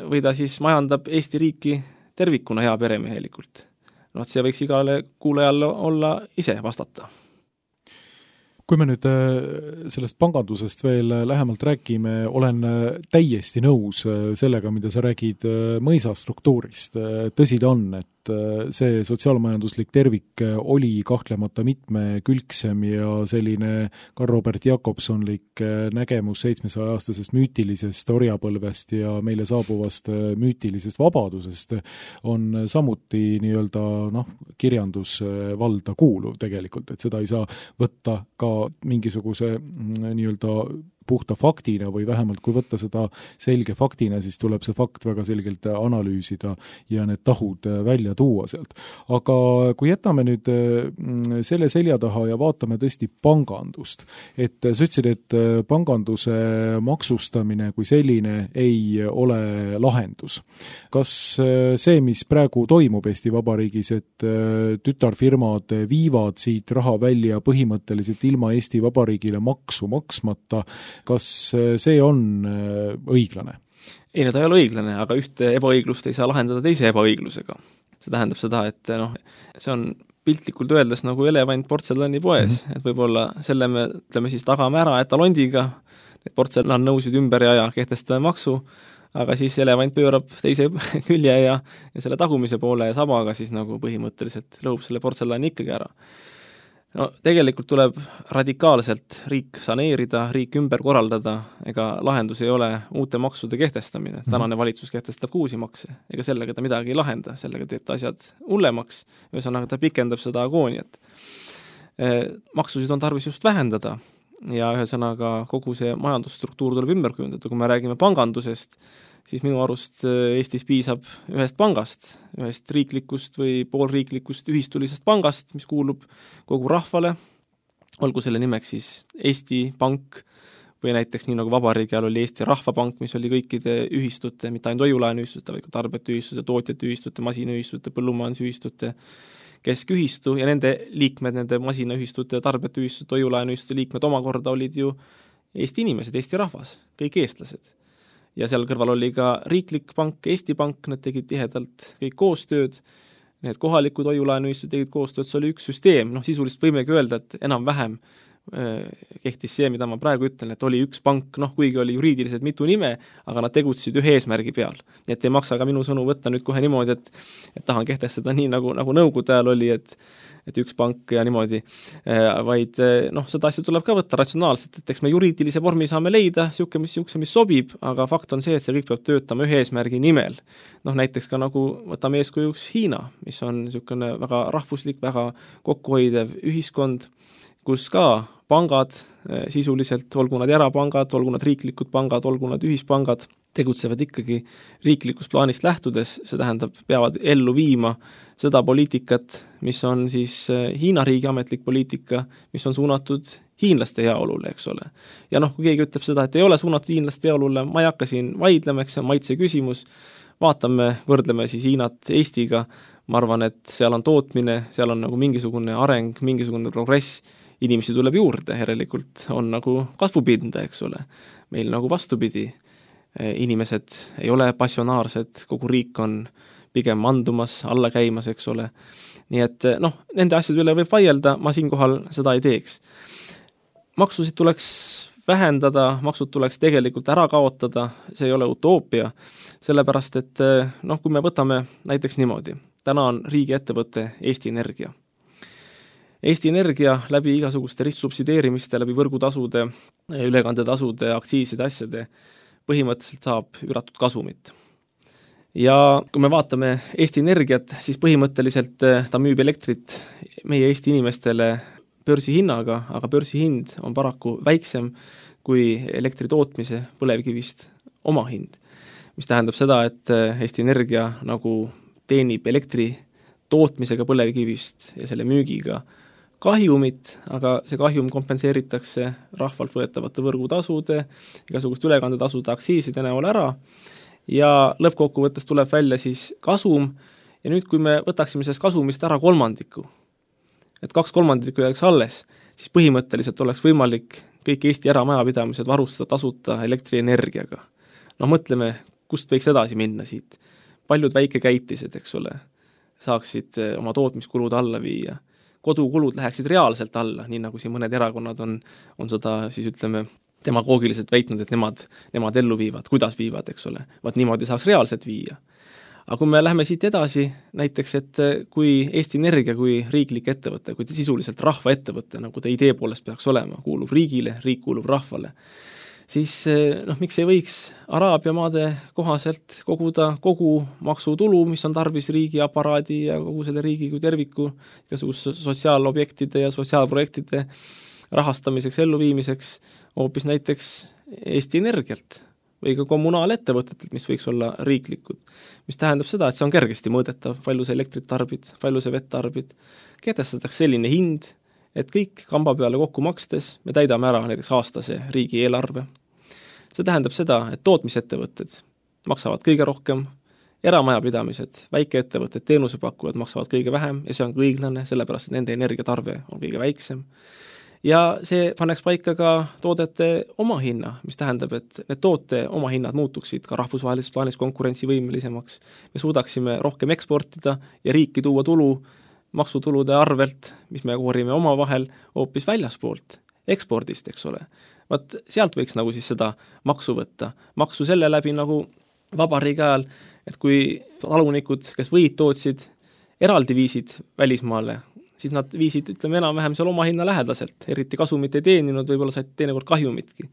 või ta siis majandab Eesti riiki tervikuna hea peremehelikult. See võiks igale kuulajale olla ise vastata. Kui me nüüd sellest pangandusest veel lähemalt räägime, olen täiesti nõus sellega, mida sa räägid mõisastruktuurist. Tõsi ta on, et see sotsiaalmajanduslik tervik oli kahtlemata mitmekülgsem ja selline Karl-Robert Jakobsonlik nägemus 700-aastasest müütilisest orjapõlvest ja meile saabuvast müütilisest vabadusest on samuti kirjandusvalda kuuluv tegelikult, et seda ei saa võtta ka mingisuguse puhta faktina või vähemalt kui võtta seda selge faktina, siis tuleb see fakt väga selgelt analüüsida ja need tahud välja tuua sealt. Aga kui jätame nüüd selle selja taha ja vaatame tõesti pangandust, et sa ütlesid, et panganduse maksustamine kui selline ei ole lahendus. Kas see, mis praegu toimub Eesti Vabariigis, et tütarfirmad viivad siit raha välja põhimõtteliselt ilma Eesti Vabariigile maksu maksmata, kas see on õiglane? Ei, ta ei ole õiglane, aga ühte ebaõiglust ei saa lahendada teise ebaõiglusega. See tähendab seda, et see on piltlikult öeldes nagu elevant portselanipoes, et võib-olla selle me siis tagame ära etalondiga, et portselannõusid ümber ja kehtestame maksu, aga siis elevant pöörab teise külje ja selle tagumise poole ja sabaga siis nagu põhimõtteliselt lõhub selle portselani ikkagi ära. Tegelikult tuleb radikaalselt riik saneerida, riik ümber korraldada, ega lahendus ei ole uute maksude kehtestamine. Tänane valitsus kehtestab uusi makse, ega sellega ta midagi ei lahenda, sellega teeb ta asjad hullemaks, ühesõnaga ta pikendab seda agooniat. Maksusid on tarvis just vähendada ja ühesõnaga kogu see majandusstruktuur tuleb ümber kujundada. Kui me räägime pangandusest, siis minu arust Eestis piisab ühest pangast, ühest riiklikust või poolriiklikust ühistulisest pangast, mis kuulub kogu rahvale, olgu selle nimeks siis Eesti Pank või näiteks nii nagu vabariigi all oli Eesti Rahvapank, mis oli kõikide ühistute, mitte ainult hoiulaenuühistute, vaid ka tarbijate ühistute, tootjate ühistute, masinaühistute, põllumajandusühistute keskühistu ja nende liikmed, nende masinaühistute, tarbijate ühistute, hoiulaenuühistute liikmed omakorda olid ju Eesti inimesed, Eesti rahvas, kõik eestlased. Ja seal kõrval oli ka riiklik pank, Eesti Pank, need tegid tihedalt kõik koostööd, need kohalikud hoiulaenuühistud tegid koostööd, see oli üks süsteem, sisuliselt võimegi öelda, et enam-vähem kehtis see, mida ma praegu ütlen, et oli üks pank, kuigi oli juriidiliselt mitu nime, aga nad tegutsesid ühe eesmärgi peal. Nii et ei maksa ka minu sõnu võtta nüüd kohe niimoodi, et tahan kehtestada nii, nagu Nõukogude ajal oli, et üks pank ja niimoodi, vaid seda asja tuleb ka võtta ratsionaalselt, et eks me juriidilise vormi saame leida, siuke, mis sobib, aga fakt on see, et see kõik peab töötama ühe eesmärgi nimel. Näiteks ka nagu võtame eeskujuks Hiina, mis on niisugune väga rahvuslik, väga kokkuhoidev ühiskond, kus ka pangad sisuliselt, olgu nad erapangad, olgu nad riiklikud pangad, olgu nad ühispangad, tegutsevad ikkagi riiklikust plaanist lähtudes, see tähendab, peavad ellu viima seda poliitikat, mis on siis Hiina riigi ametlik poliitika, mis on suunatud hiinlaste heaolule, eks ole. Ja kui keegi ütleb seda, et ei ole suunatud hiinlaste heaolule, ma ei hakka siin vaidlema, eks see on maitse küsimus, vaatame, võrdleme siis Hiinat Eestiga, ma arvan, et seal on tootmine, seal on nagu mingisugune areng, mingisugune progress, inimesi tuleb juurde, järelikult on nagu kasvupinda, eks ole. Meil nagu vastupidi, inimesed ei ole passionaarsed, kogu riik on pigem mandumas, alla käimas, eks ole. Nii et nende asjade üle võib vaielda, ma siinkohal seda ei teeks. Maksusid tuleks vähendada, maksud tuleks tegelikult ära kaotada, see ei ole utoopia, sellepärast et kui me võtame näiteks niimoodi, täna on riigiettevõte Eesti Energia. Eesti Energia läbi igasuguste ristsubsideerimiste, läbi võrgutasude, ülekandetasude, aktsiiside asjade põhimõtteliselt saab üüratud kasumit. Ja kui me vaatame Eesti Energiat, siis põhimõtteliselt ta müüb elektrit meie Eesti inimestele börsihinnaga, aga börsihind on paraku väiksem kui elektri tootmise põlevkivist oma hind. Mis tähendab seda, et Eesti Energia nagu teenib elektri tootmisega põlevkivist ja selle müügiga kahjumit, aga see kahjum kompenseeritakse rahvalt võetavate võrgutasude, igasugust ülekandetasude, aktsiiside näol ära ja lõppkokkuvõttes tuleb välja siis kasum ja nüüd, kui me võtaksime sellest kasumist ära kolmandiku, et 2/3 jääks alles, siis põhimõtteliselt oleks võimalik kõik Eesti eramajapidamised varustada tasuta elektrienergiaga. Mõtleme, kust võiks edasi minna siit. Paljud väikekäitised, eks ole, saaksid oma tootmiskulud alla viia. Kodukulud läheksid reaalselt alla, nii nagu siin mõned erakonnad on seda siis ütleme demagoogiliselt väitnud, et nemad ellu viivad, kuidas viivad, eks ole. Vaat niimoodi saaks reaalselt viia. Aga kui me läheme siit edasi, näiteks, et kui Eesti Energia kui riiklik ettevõte, kui ta sisuliselt rahvaettevõte, nagu ta idee poolest peaks olema, kuulub riigile, riik kuulub rahvale, siis miks ei võiks Araabia maade kohaselt koguda kogu maksutulu, mis on tarvis riigi aparaadi ja kogu selle riigi kui terviku, igasuguse sotsiaalobjektide ja sotsiaalprojektide rahastamiseks, elluviimiseks, hoopis näiteks Eesti Energialt või ka kommunaalettevõtetelt, mis võiks olla riiklikud. Mis tähendab seda, et see on kergesti mõõdetav, palju see elektrit tarbid, palju see vett tarbid. Kehtestatakse selline hind, et kõik kamba peale kokku makstes me täidame ära näiteks aastase riigieelarve. See tähendab seda, et tootmisettevõtted maksavad kõige rohkem, eramajapidamised, väikeettevõtted, teenusepakkujad maksavad kõige vähem ja see on õiglane, sellepärast et nende energiatarve on kõige väiksem. Ja see paneks paika ka toodete omahinna, mis tähendab, et need toote omahinnad muutuksid ka rahvusvahelises plaanis konkurentsivõimelisemaks. Me suudaksime rohkem eksportida ja riiki tuua tulu maksutulude arvelt, mis me koorime oma vahel hoopis väljaspoolt, ekspordist, eks ole. Vaat sealt võiks nagu siis seda maksu võtta. Maksu selle läbi nagu vabariigi ajal, et kui talunikud, kes võid tootsid, eraldi viisid välismaale, siis nad viisid, ütleme, enam-vähem seal oma hinna lähedaselt, eriti kasumit ei teeninud, võib-olla said teinekord kahjumitki.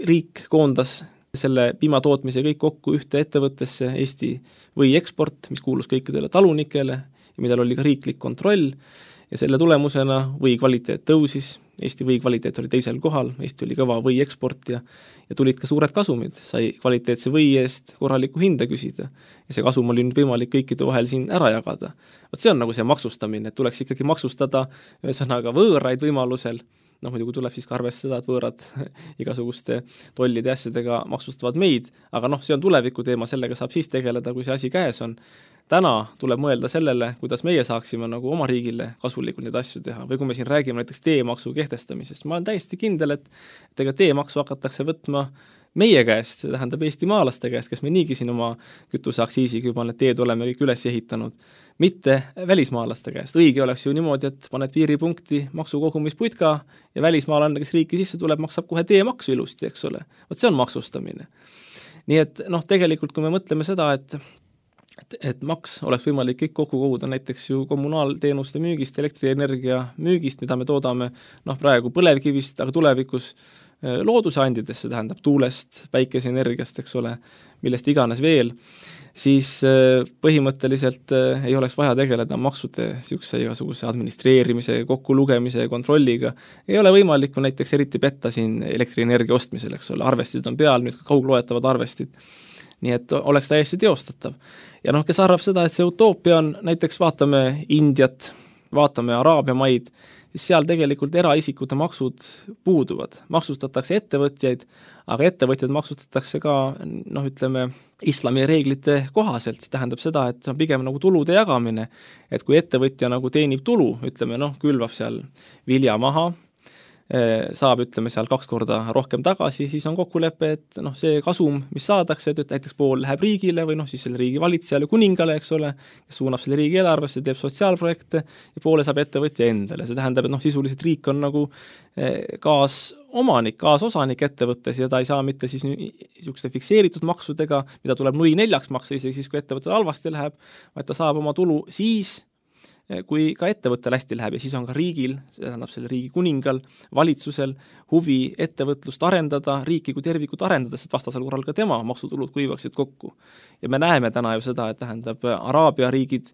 Riik koondas selle piimatootmise kõik kokku ühte ettevõttesse, Eesti või eksport, mis kuulus kõikidele talunikele, millel oli ka riiklik kontroll ja selle tulemusena või kvaliteet tõusis, Eesti või kvaliteet oli teisel kohal, Eesti oli kõva või eksportija ja tulid ka suured kasumid, sai kvaliteetse või eest korralikku hinda küsida ja see kasum oli nüüd võimalik kõikide vahel siin ära jagada. Vot see on nagu see maksustamine, et tuleks ikkagi maksustada ühesõnaga võõraid võimalusel, muidugi tuleb siis ka arvestada, et võõrad igasuguste tollide asjadega maksustavad meid, aga see on tuleviku teema, sellega saab siis tegeleda, kui see asi käes on. Täna tuleb mõelda sellele, kuidas meie saaksime nagu oma riigile kasulikult neid asju teha. Või kui me siin räägime näiteks teemaksu kehtestamisest, ma olen täiesti kindel, et ega teemaksu hakatakse võtma meie käest, see tähendab Eesti maalaste käest, kes me niigi siin oma kütuseaktsiisiga juba need teed oleme kõik üles ehitanud, mitte välismaalaste käest. Õige oleks ju niimoodi, et paned piiripunkti maksukogumisputka ja välismaalane, kes riiki sisse tuleb, maksab kohe teemaksu ilusti, eks ole. Vot see on maksustamine. Nii et tegelikult, kui me mõtleme seda, et maks oleks võimalik kõik kokku koguda näiteks ju kommunaalteenuste müügist, elektrienergia müügist, mida me toodame praegu põlevkivist, aga tulevikus looduse andidest, see tähendab tuulest, päikeseenergiast, eks ole, millest iganes veel, siis põhimõtteliselt ei oleks vaja tegeleda maksude siukse igasuguse administreerimise, kokkulugemise ja kontrolliga. Ei ole võimalik näiteks eriti petta siin elektrienergia ostmisel, eks ole, arvestid on peal, nüüd ka kaugloetavad arvestid. Nii et oleks täiesti teostatav. Ja kes arvab seda, et see utoopia on, näiteks vaatame Indiat, vaatame Araabia maid, siis seal tegelikult eraisikute maksud puuduvad. Maksustatakse ettevõtjaid, aga ettevõtjad maksustatakse ka, ütleme, islami reeglite kohaselt. See tähendab seda, et see on pigem nagu tulude jagamine, et kui ettevõtja nagu teenib tulu, ütleme, külvab seal vilja maha, saab, ütleme, seal 2 korda rohkem tagasi, siis on kokkulepe, et see kasum, mis saadakse, et näiteks pool läheb riigile või siis selle riigi valitsejale, kuningale, eks ole, kes suunab selle riigi eelarvesse, teeb sotsiaalprojekte ja poole saab ettevõtja endale. See tähendab, et sisuliselt riik on nagu omanik, kaasosanik ettevõttes ja ta ei saa mitte siis niisuguste fikseeritud maksudega, mida tuleb nui 4 maksta, isegi siis, kui ettevõttel halvasti läheb, vaid ta saab oma tulu siis, kui ka ettevõttel hästi läheb ja siis on ka riigil, see tähendab selle riigi kuningal, valitsusel huvi ettevõtlust arendada, riiki kui tervikut arendada, sest vastasel korral ka tema maksutulud kuivaksid kokku. Ja me näeme täna ju seda, et tähendab, Araabia riigid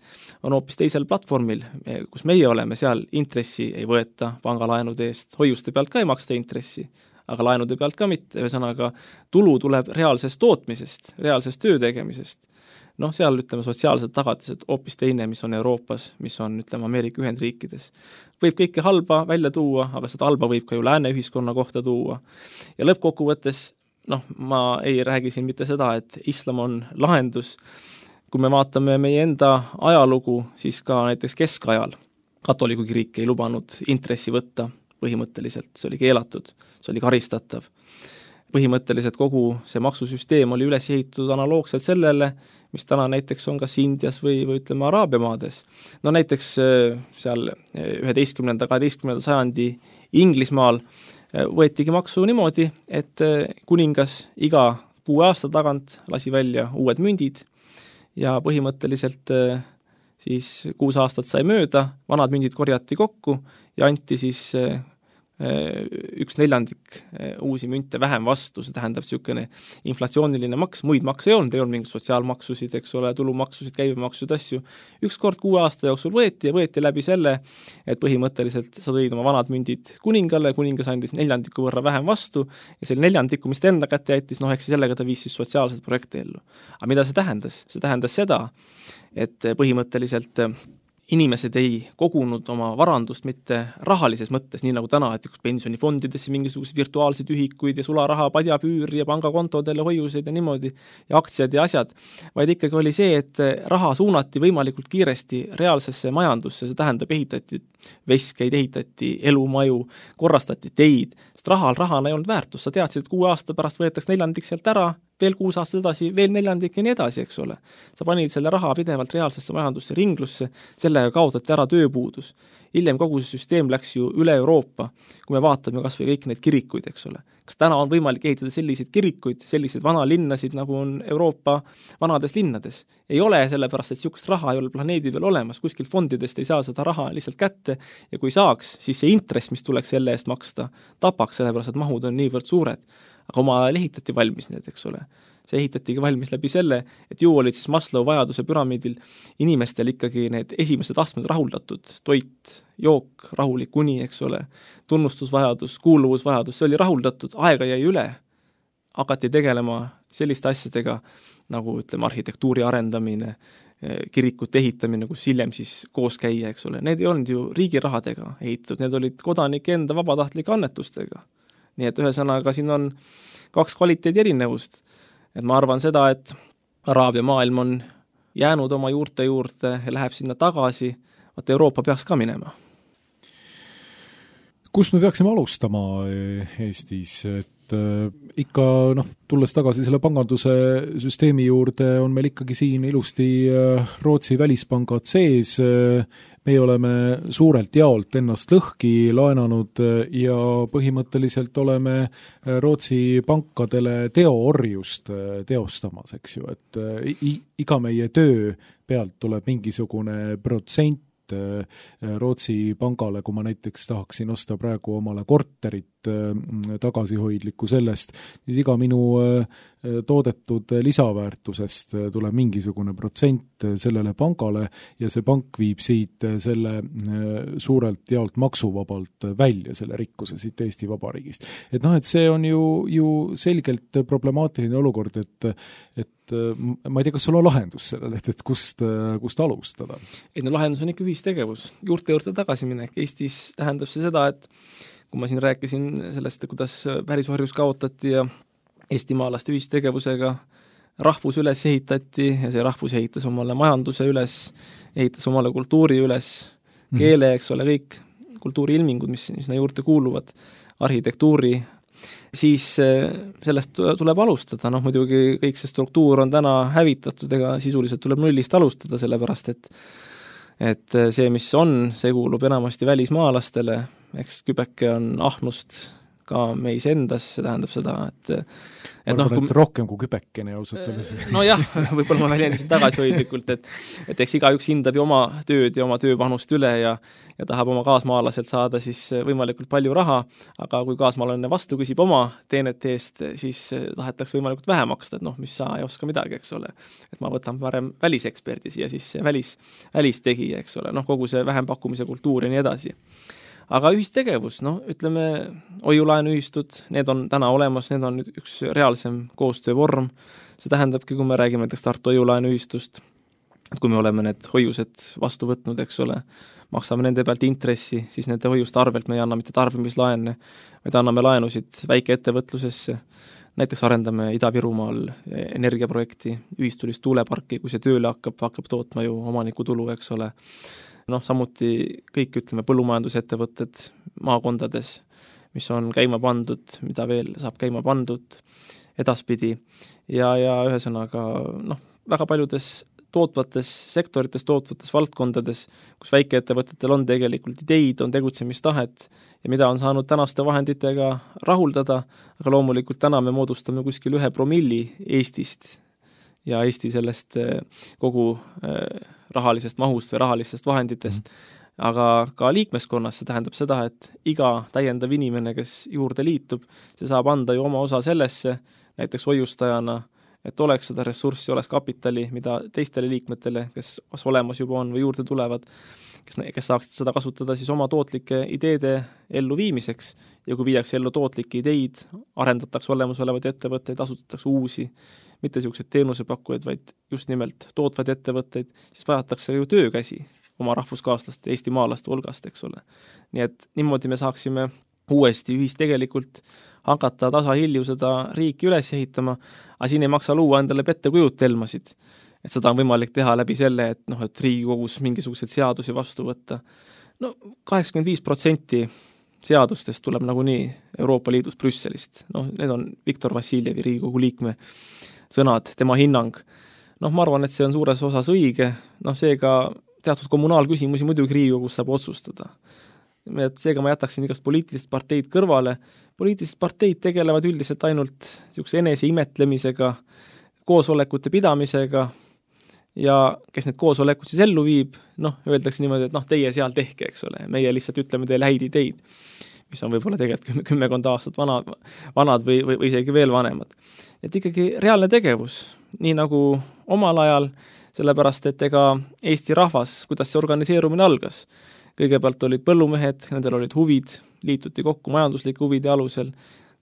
on hoopis teisel platvormil, kus meie oleme, seal intressi ei võeta pangalaenude eest, hoiuste pealt ka ei maksta intressi, aga laenude pealt ka mitte, ühesõnaga tulu tuleb reaalsest tootmisest, reaalsest töö tegemisest. Noh, seal ütleme sotsiaalsed tagatised hoopis teine, mis on Euroopas, mis on ütleme Ameerika Ühendriikides. Võib kõike halba välja tuua, aga seda halba võib ka ju lääne ühiskonna kohta tuua. Ja lõppkokkuvõttes, ma ei räägi siin mitte seda, et islam on lahendus. Kui me vaatame meie enda ajalugu, siis ka näiteks keskajal katoliku kirik ei lubanud intressi võtta põhimõtteliselt, see oli keelatud, see oli karistatav. Põhimõtteliselt kogu see maksusüsteem oli üles ehitatud analoogselt sellele, mis täna näiteks on kas Indias või ütleme Araabia maades. No näiteks seal 11.–12. sajandi Inglismaal võetigi maksu niimoodi, et kuningas iga 6 aasta tagant lasi välja uued mündid ja põhimõtteliselt siis 6 aastat sai mööda, vanad mündid korjati kokku ja anti siis 1/4 uusi münte vähem vastu, see tähendab niisugune inflatsiooniline maks, muid makse ei olnud mingid sotsiaalmaksusid, eks ole, tulumaksusid, käibemaksusid, asju. Üks kord 6 aasta jooksul võeti läbi selle, et põhimõtteliselt sa tõid oma vanad mündid kuningale, kuningas andis 1/4 võrra vähem vastu ja selle 1/4, mis ta enda kätte jättis, eks sellega ta viis siis sotsiaalset projekti ellu. Aga mida see tähendas? See tähendas seda, et põhimõtteliselt inimesed ei kogunud oma varandust mitte rahalises mõttes, nii nagu täna, et pensionifondidesse mingisuguseid virtuaalseid ühikuid ja sularaha, padjapüüri ja pangakontodele hoiuseid ja niimoodi ja aktsiad ja asjad, vaid ikkagi oli see, et raha suunati võimalikult kiiresti reaalsesse majandusse, see tähendab ehitati veskeid, ehitati elumaju, korrastati teid, sest rahana ei olnud väärtus, sa teadsid, et 6 aasta pärast võetakse 1/4 sealt ära, veel 6 aastat edasi, veel 1/4 ja nii edasi, eks ole. Sa panid selle raha pidevalt reaalsesse majandusse, ringlusse, sellega kaotati ära tööpuudus. Hiljem kogu see süsteem läks ju üle Euroopa, kui me vaatame kas või kõik need kirikuid, eks ole. Kas täna on võimalik ehitada selliseid kirikuid, selliseid vanalinnasid, nagu on Euroopa vanades linnades? Ei ole, sellepärast, et niisugust raha ei ole planeedi peal olemas, kuskil fondidest ei saa seda raha lihtsalt kätte ja kui saaks, siis see intress, mis tuleks selle eest maksta, tapaks, sellepärast, et mahud on niivõrd suured. Aga omal ajal ehitati valmis need, eks ole. See ehitatigi valmis läbi selle, et ju olid siis Maslow vajaduse püramiidil inimestel ikkagi need esimesed astmed rahuldatud, toit, jook, rahulik uni, eks ole, tunnustusvajadus, kuuluvusvajadus, see oli rahuldatud, aega jäi üle, hakati tegelema selliste asjadega, nagu ütleme arhitektuuri arendamine, kirikute ehitamine, kus hiljem siis koos käia, eks ole, need ei olnud ju riigi rahadega ehitatud, need olid kodanike enda vabatahtlike annetustega. Nii et ühesõnaga siin on 2 kvaliteedi erinevust. Et ma arvan seda, et Araabia maailm on jäänud oma juurte juurde ja läheb sinna tagasi, vaat Euroopa peaks ka minema. Kust me peaksime alustama Eestis? Ikka, tulles tagasi selle panganduse süsteemi juurde, on meil ikkagi siin ilusti Rootsi välispangad sees. Meie oleme suurelt jaolt ennast lõhki laenanud ja põhimõtteliselt oleme Rootsi pankadele teoorjust teostamas, eks ju, et iga meie töö pealt tuleb mingisugune protsent Rootsi pangale, kui ma näiteks tahaksin osta praegu omale korterit tagasihoidlikku sellest, siis iga minu toodetud lisaväärtusest tuleb mingisugune protsent sellele pangale ja see pank viib siit selle suurelt jaolt maksuvabalt välja selle rikkuse siit Eesti Vabariigist. Et et see on ju selgelt problemaatiline olukord, et ma ei tea, kas sul on lahendus sellele, et kust alustada? Lahendus on ikka ühistegevus, juurte juurde tagasiminek. Eestis tähendab see seda, et kui ma siin rääkisin sellest, kuidas pärisvarjus kaotati ja eestimaalaste ühistegevusega rahvus üles ehitati ja see rahvus ehitas omale majanduse üles, ehitas omale kultuuri üles, keele, eks ole, kõik kultuuriilmingud, mis sinna juurde kuuluvad, arhitektuuri, siis sellest tuleb alustada. Muidugi kõik see struktuur on täna hävitatud, ega sisuliselt tuleb nullist alustada, sellepärast et see, mis on, see kuulub enamasti välismaalastele, eks kübeke on ahnust, ka meis endas, see tähendab seda, et rohkem kui kübekene ausalt öeldes. Nojah, võib-olla ma väljendasin tagasihoidlikult, et eks igaüks hindab ju oma tööd ja oma tööpanust üle ja tahab oma kaasmaalaselt saada siis võimalikult palju raha, aga kui kaasmaalane vastu küsib oma teenete eest, siis tahetakse võimalikult vähe maksta, et mis sa ei oska midagi, eks ole. Et ma võtan parem väliseksperdi siia, siis see välistegija, eks ole, kogu see vähempakkumise kultuur ja nii edasi. Aga ühistegevus, ütleme, hoiulaenuühistud, need on täna olemas, need on üks reaalsem koostöövorm. See tähendabki, kui me räägime näiteks Tartu hoiulaenuühistust, et kui me oleme need hoiused vastu võtnud, eks ole, maksame nende pealt intressi, siis nende hoiuste arvelt me ei anna mitte tarbimislaene, vaid anname laenusid väikeettevõtlusesse. Näiteks arendame Ida-Virumaal energiaprojekti, ühistulist tuuleparki, kui see tööle hakkab tootma ju omanikutulu, eks ole. Samuti kõik, ütleme, põllumajandusettevõtted maakondades, mis on käima pandud, mida veel saab käima pandud edaspidi ja ühesõnaga, väga paljudes tootvates sektorites, tootvates valdkondades, kus väikeettevõtetel on tegelikult ideid, on tegutsemistahet ja mida on saanud tänaste vahenditega rahuldada, aga loomulikult täna me moodustame kuskil 1% Eestist ja Eesti sellest kogu rahalisest mahust või rahalistest vahenditest, aga ka liikmeskonnas see tähendab seda, et iga täiendav inimene, kes juurde liitub, see saab anda ju oma osa sellesse, näiteks hoiustajana, et oleks seda ressurssi, oleks kapitali, mida teistele liikmetele, kes olemas juba on või juurde tulevad, kes saaksid seda kasutada siis oma tootlike ideede elluviimiseks ja kui viiakse ellu tootlikke ideid, arendatakse olemasolevaid ettevõtteid, asutatakse uusi, mitte sellised teenusepakkujaid, vaid just nimelt tootvaid ettevõtteid, siis vajatakse ju töökäsi oma rahvuskaaslaste, eestimaalaste hulgast, eks ole. Nii et niimoodi me saaksime uuesti ühistegelikult hakata tasahilju seda riiki üles ehitama, aga siin ei maksa luua endale pettekujutelmasid. Et seda on võimalik teha läbi selle, et Riigikogus mingisuguseid seadusi vastu võtta. 85% seadustest tuleb nagunii Euroopa Liidus Brüsselist. Need on Viktor Vassiljevi Riigikogu liikme sõnad, tema hinnang. Ma arvan, et see on suures osas õige. Seega teatud kommunaalküsimusi muidugi Riigikogus saab otsustada. Seega ma jätaksin igast poliitilist parteid kõrvale. Poliitilised parteid tegelevad üldiselt ainult enese imetlemisega, koosolekute pidamisega ja kes need koosolekud siis ellu viib, öeldakse niimoodi, et teie seal tehke, eks ole. Meie lihtsalt ütleme teile häid ideid, mis on võib-olla tegelikult 10 aastat vanad või isegi veel vanemad. Et ikkagi reaalne tegevus, nii nagu omal ajal, sellepärast, et ega Eesti rahvas, kuidas see organiseerumine algas. Kõigepealt olid põllumehed, nendel olid huvid, liituti kokku majanduslike huvide alusel.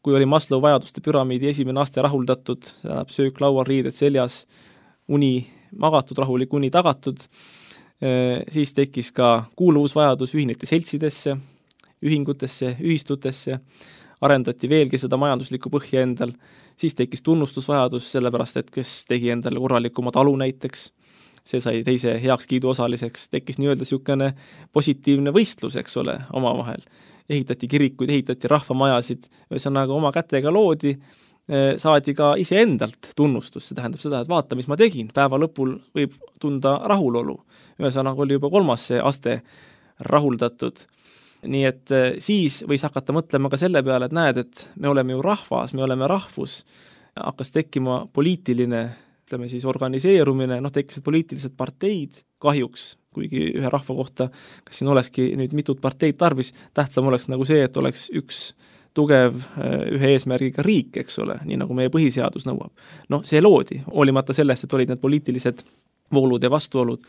Kui oli Maslow vajaduste püramiidi esimene aste rahuldatud, tähendab söök laual, riided seljas, uni magatud, rahulik uni tagatud, siis tekkis ka kuuluvusvajadus, ühineti seltsidesse, ühingutesse, ühistutesse, arendati veelgi seda majanduslikku põhja endal, siis tekkis tunnustusvajadus, sellepärast et kes tegi endale korralikuma talu näiteks, see sai teise heakskiidu osaliseks, tekkis nii-öelda niisugune positiivne võistlus, eks ole, omavahel. Ehitati kirikuid, ehitati rahvamajasid, ühesõnaga oma kätega loodi, saadi ka iseendalt tunnustus, see tähendab seda, et vaata, mis ma tegin, päeva lõpul võib tunda rahulolu. Ühesõnaga oli juba 3. aste rahuldatud. Nii et siis võis hakata mõtlema ka selle peale, et näed, et me oleme ju rahvas, me oleme rahvus, hakkas tekkima poliitiline, ütleme siis organiseerumine, tekkisid poliitilised parteid, kahjuks, kuigi ühe rahva kohta, kas siin olekski nüüd mitut parteid tarvis, tähtsam oleks nagu see, et oleks üks tugev ühe eesmärgiga riik, eks ole, nii nagu meie põhiseadus nõuab. See loodi, hoolimata sellest, et olid need poliitilised voolud ja vastuolud.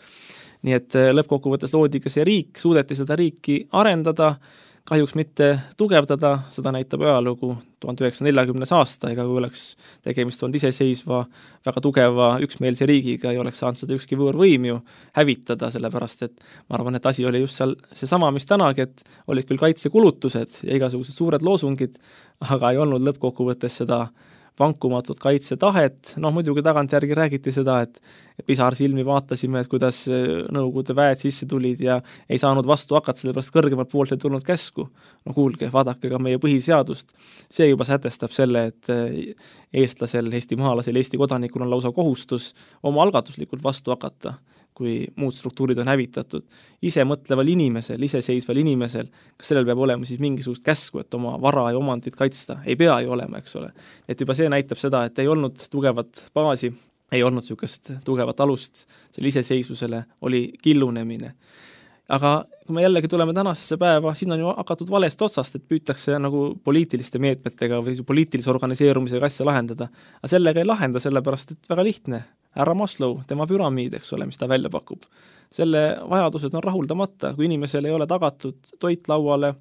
Nii et lõppkokkuvõttes loodi ka see riik, suudeti seda riiki arendada, kahjuks mitte tugevdada, seda näitab ajalugu 1940. aasta, ega kui oleks tegemist olnud iseseisva, väga tugeva üksmeelse riigiga, ei oleks saanud seda ükski võõrvõim ju hävitada, sellepärast et ma arvan, et asi oli just seal seesama, mis tänagi, et olid küll kaitsekulutused ja igasugused suured loosungid, aga ei olnud lõppkokkuvõttes seda vankumatut kaitsetahet, muidugi tagantjärgi räägiti seda, et pisarsilmi vaatasime, et kuidas Nõukogude väed sisse tulid ja ei saanud vastu hakata, sellepärast kõrgemalt poolt ei tulnud käsku. Kuulge, vaadake ka meie põhiseadust. See juba sätestab selle, et eestlasel, eestimaalasel, Eesti kodanikul on lausa kohustus oma algatuslikult vastu hakata, kui muud struktuurid on hävitatud. Ise mõtleval inimesel, iseseisval inimesel, kas sellel peab olema siis mingisugust käsku, et oma vara ja omandit kaitsta? Ei pea ju olema, eks ole. Et juba see näitab seda, et ei olnud tugevat baasi, ei olnud niisugust tugevat alust selle iseseisvusele, oli killunemine. Aga kui me jällegi tuleme tänasesse päeva, siin on ju hakatud valest otsast, et püütakse nagu poliitiliste meetmetega või poliitilise organiseerumisega asja lahendada. Aga sellega ei lahenda, sellepärast et väga lihtne. Härra Maslow, tema püramiid, eks ole, mis ta välja pakub. Selle vajadused on rahuldamata, kui inimesel ei ole tagatud toit lauale,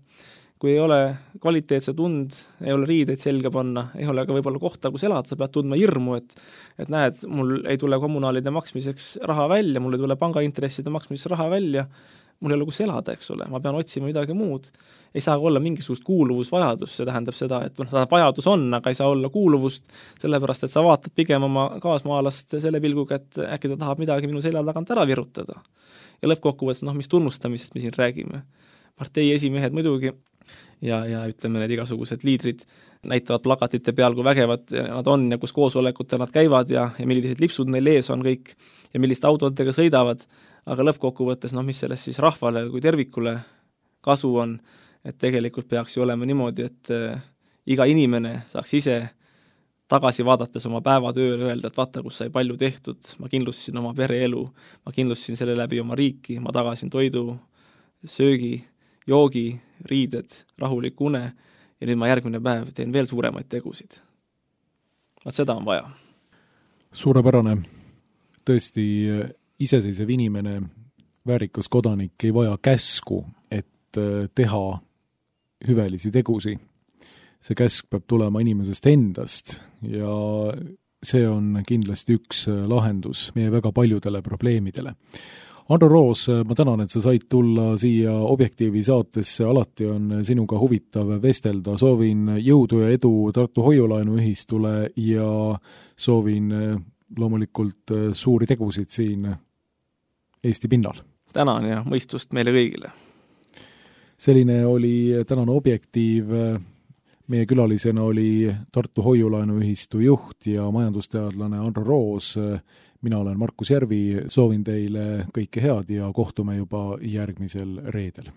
kui ei ole kvaliteetse tund, ei ole riideid selga panna, ei ole ka võib-olla kohta, kus elada, sa pead tundma hirmu, et näed, mul ei tule kommunaalide maksmiseks raha välja, mul ei tule pangaintresside maksmiseks raha välja, mul ei ole kus elada, eks ole, ma pean otsima midagi muud. Ei saa olla mingisugust kuuluvusvajadust, see tähendab seda, et vajadus on, aga ei saa olla kuuluvust, sellepärast, et sa vaatad pigem oma kaasmaalast selle pilguga, et äkki ta tahab midagi minu selja tagant ära virutada. Ja lõppkokkuvõttes, mis tunnustamisest me siin räägime. Partei esimehed muidugi ja ütleme, need igasugused liidrid näitavad plakatite peal, kui vägevad nad on ja kus koosolekutel nad käivad ja millised lipsud neil ees on kõik ja milliste autodega sõidavad, aga lõppkokkuvõttes, mis sellest siis rahvale kui tervikule kasu on, et tegelikult peaks ju olema niimoodi, et iga inimene saaks ise tagasi vaadates oma päevatööle öelda, et vaata, kus sai palju tehtud, ma kindlustasin oma pereelu, ma kindlustasin selle läbi oma riiki, ma tagasin toidu, söögi, joogi, riided, rahulik une ja nüüd ma järgmine päev teen veel suuremaid tegusid. Vaat seda on vaja. Suurepärane. Tõesti, iseseisev inimene, väärikas kodanik ei vaja käsku, et teha hüvelisi tegusi. See käsk peab tulema inimesest endast ja see on kindlasti üks lahendus meie väga paljudele probleemidele. Andro Roos, ma tänan, et sa said tulla siia Objektiivi saatesse, alati on sinuga huvitav vestelda, soovin jõudu ja edu Tartu Hoiulaenuühistule ja soovin loomulikult suuri tegusid siin Eesti pinnal. Tänan ja mõistust meile kõigile. Selline oli tänane Objektiiv. Meie külalisena oli Tartu Hoiulaenuühistu juht ja majandusteadlane Andro Roos. Mina olen Markus Järvi, soovin teile kõike head ja kohtume juba järgmisel reedel.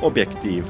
Objektiiv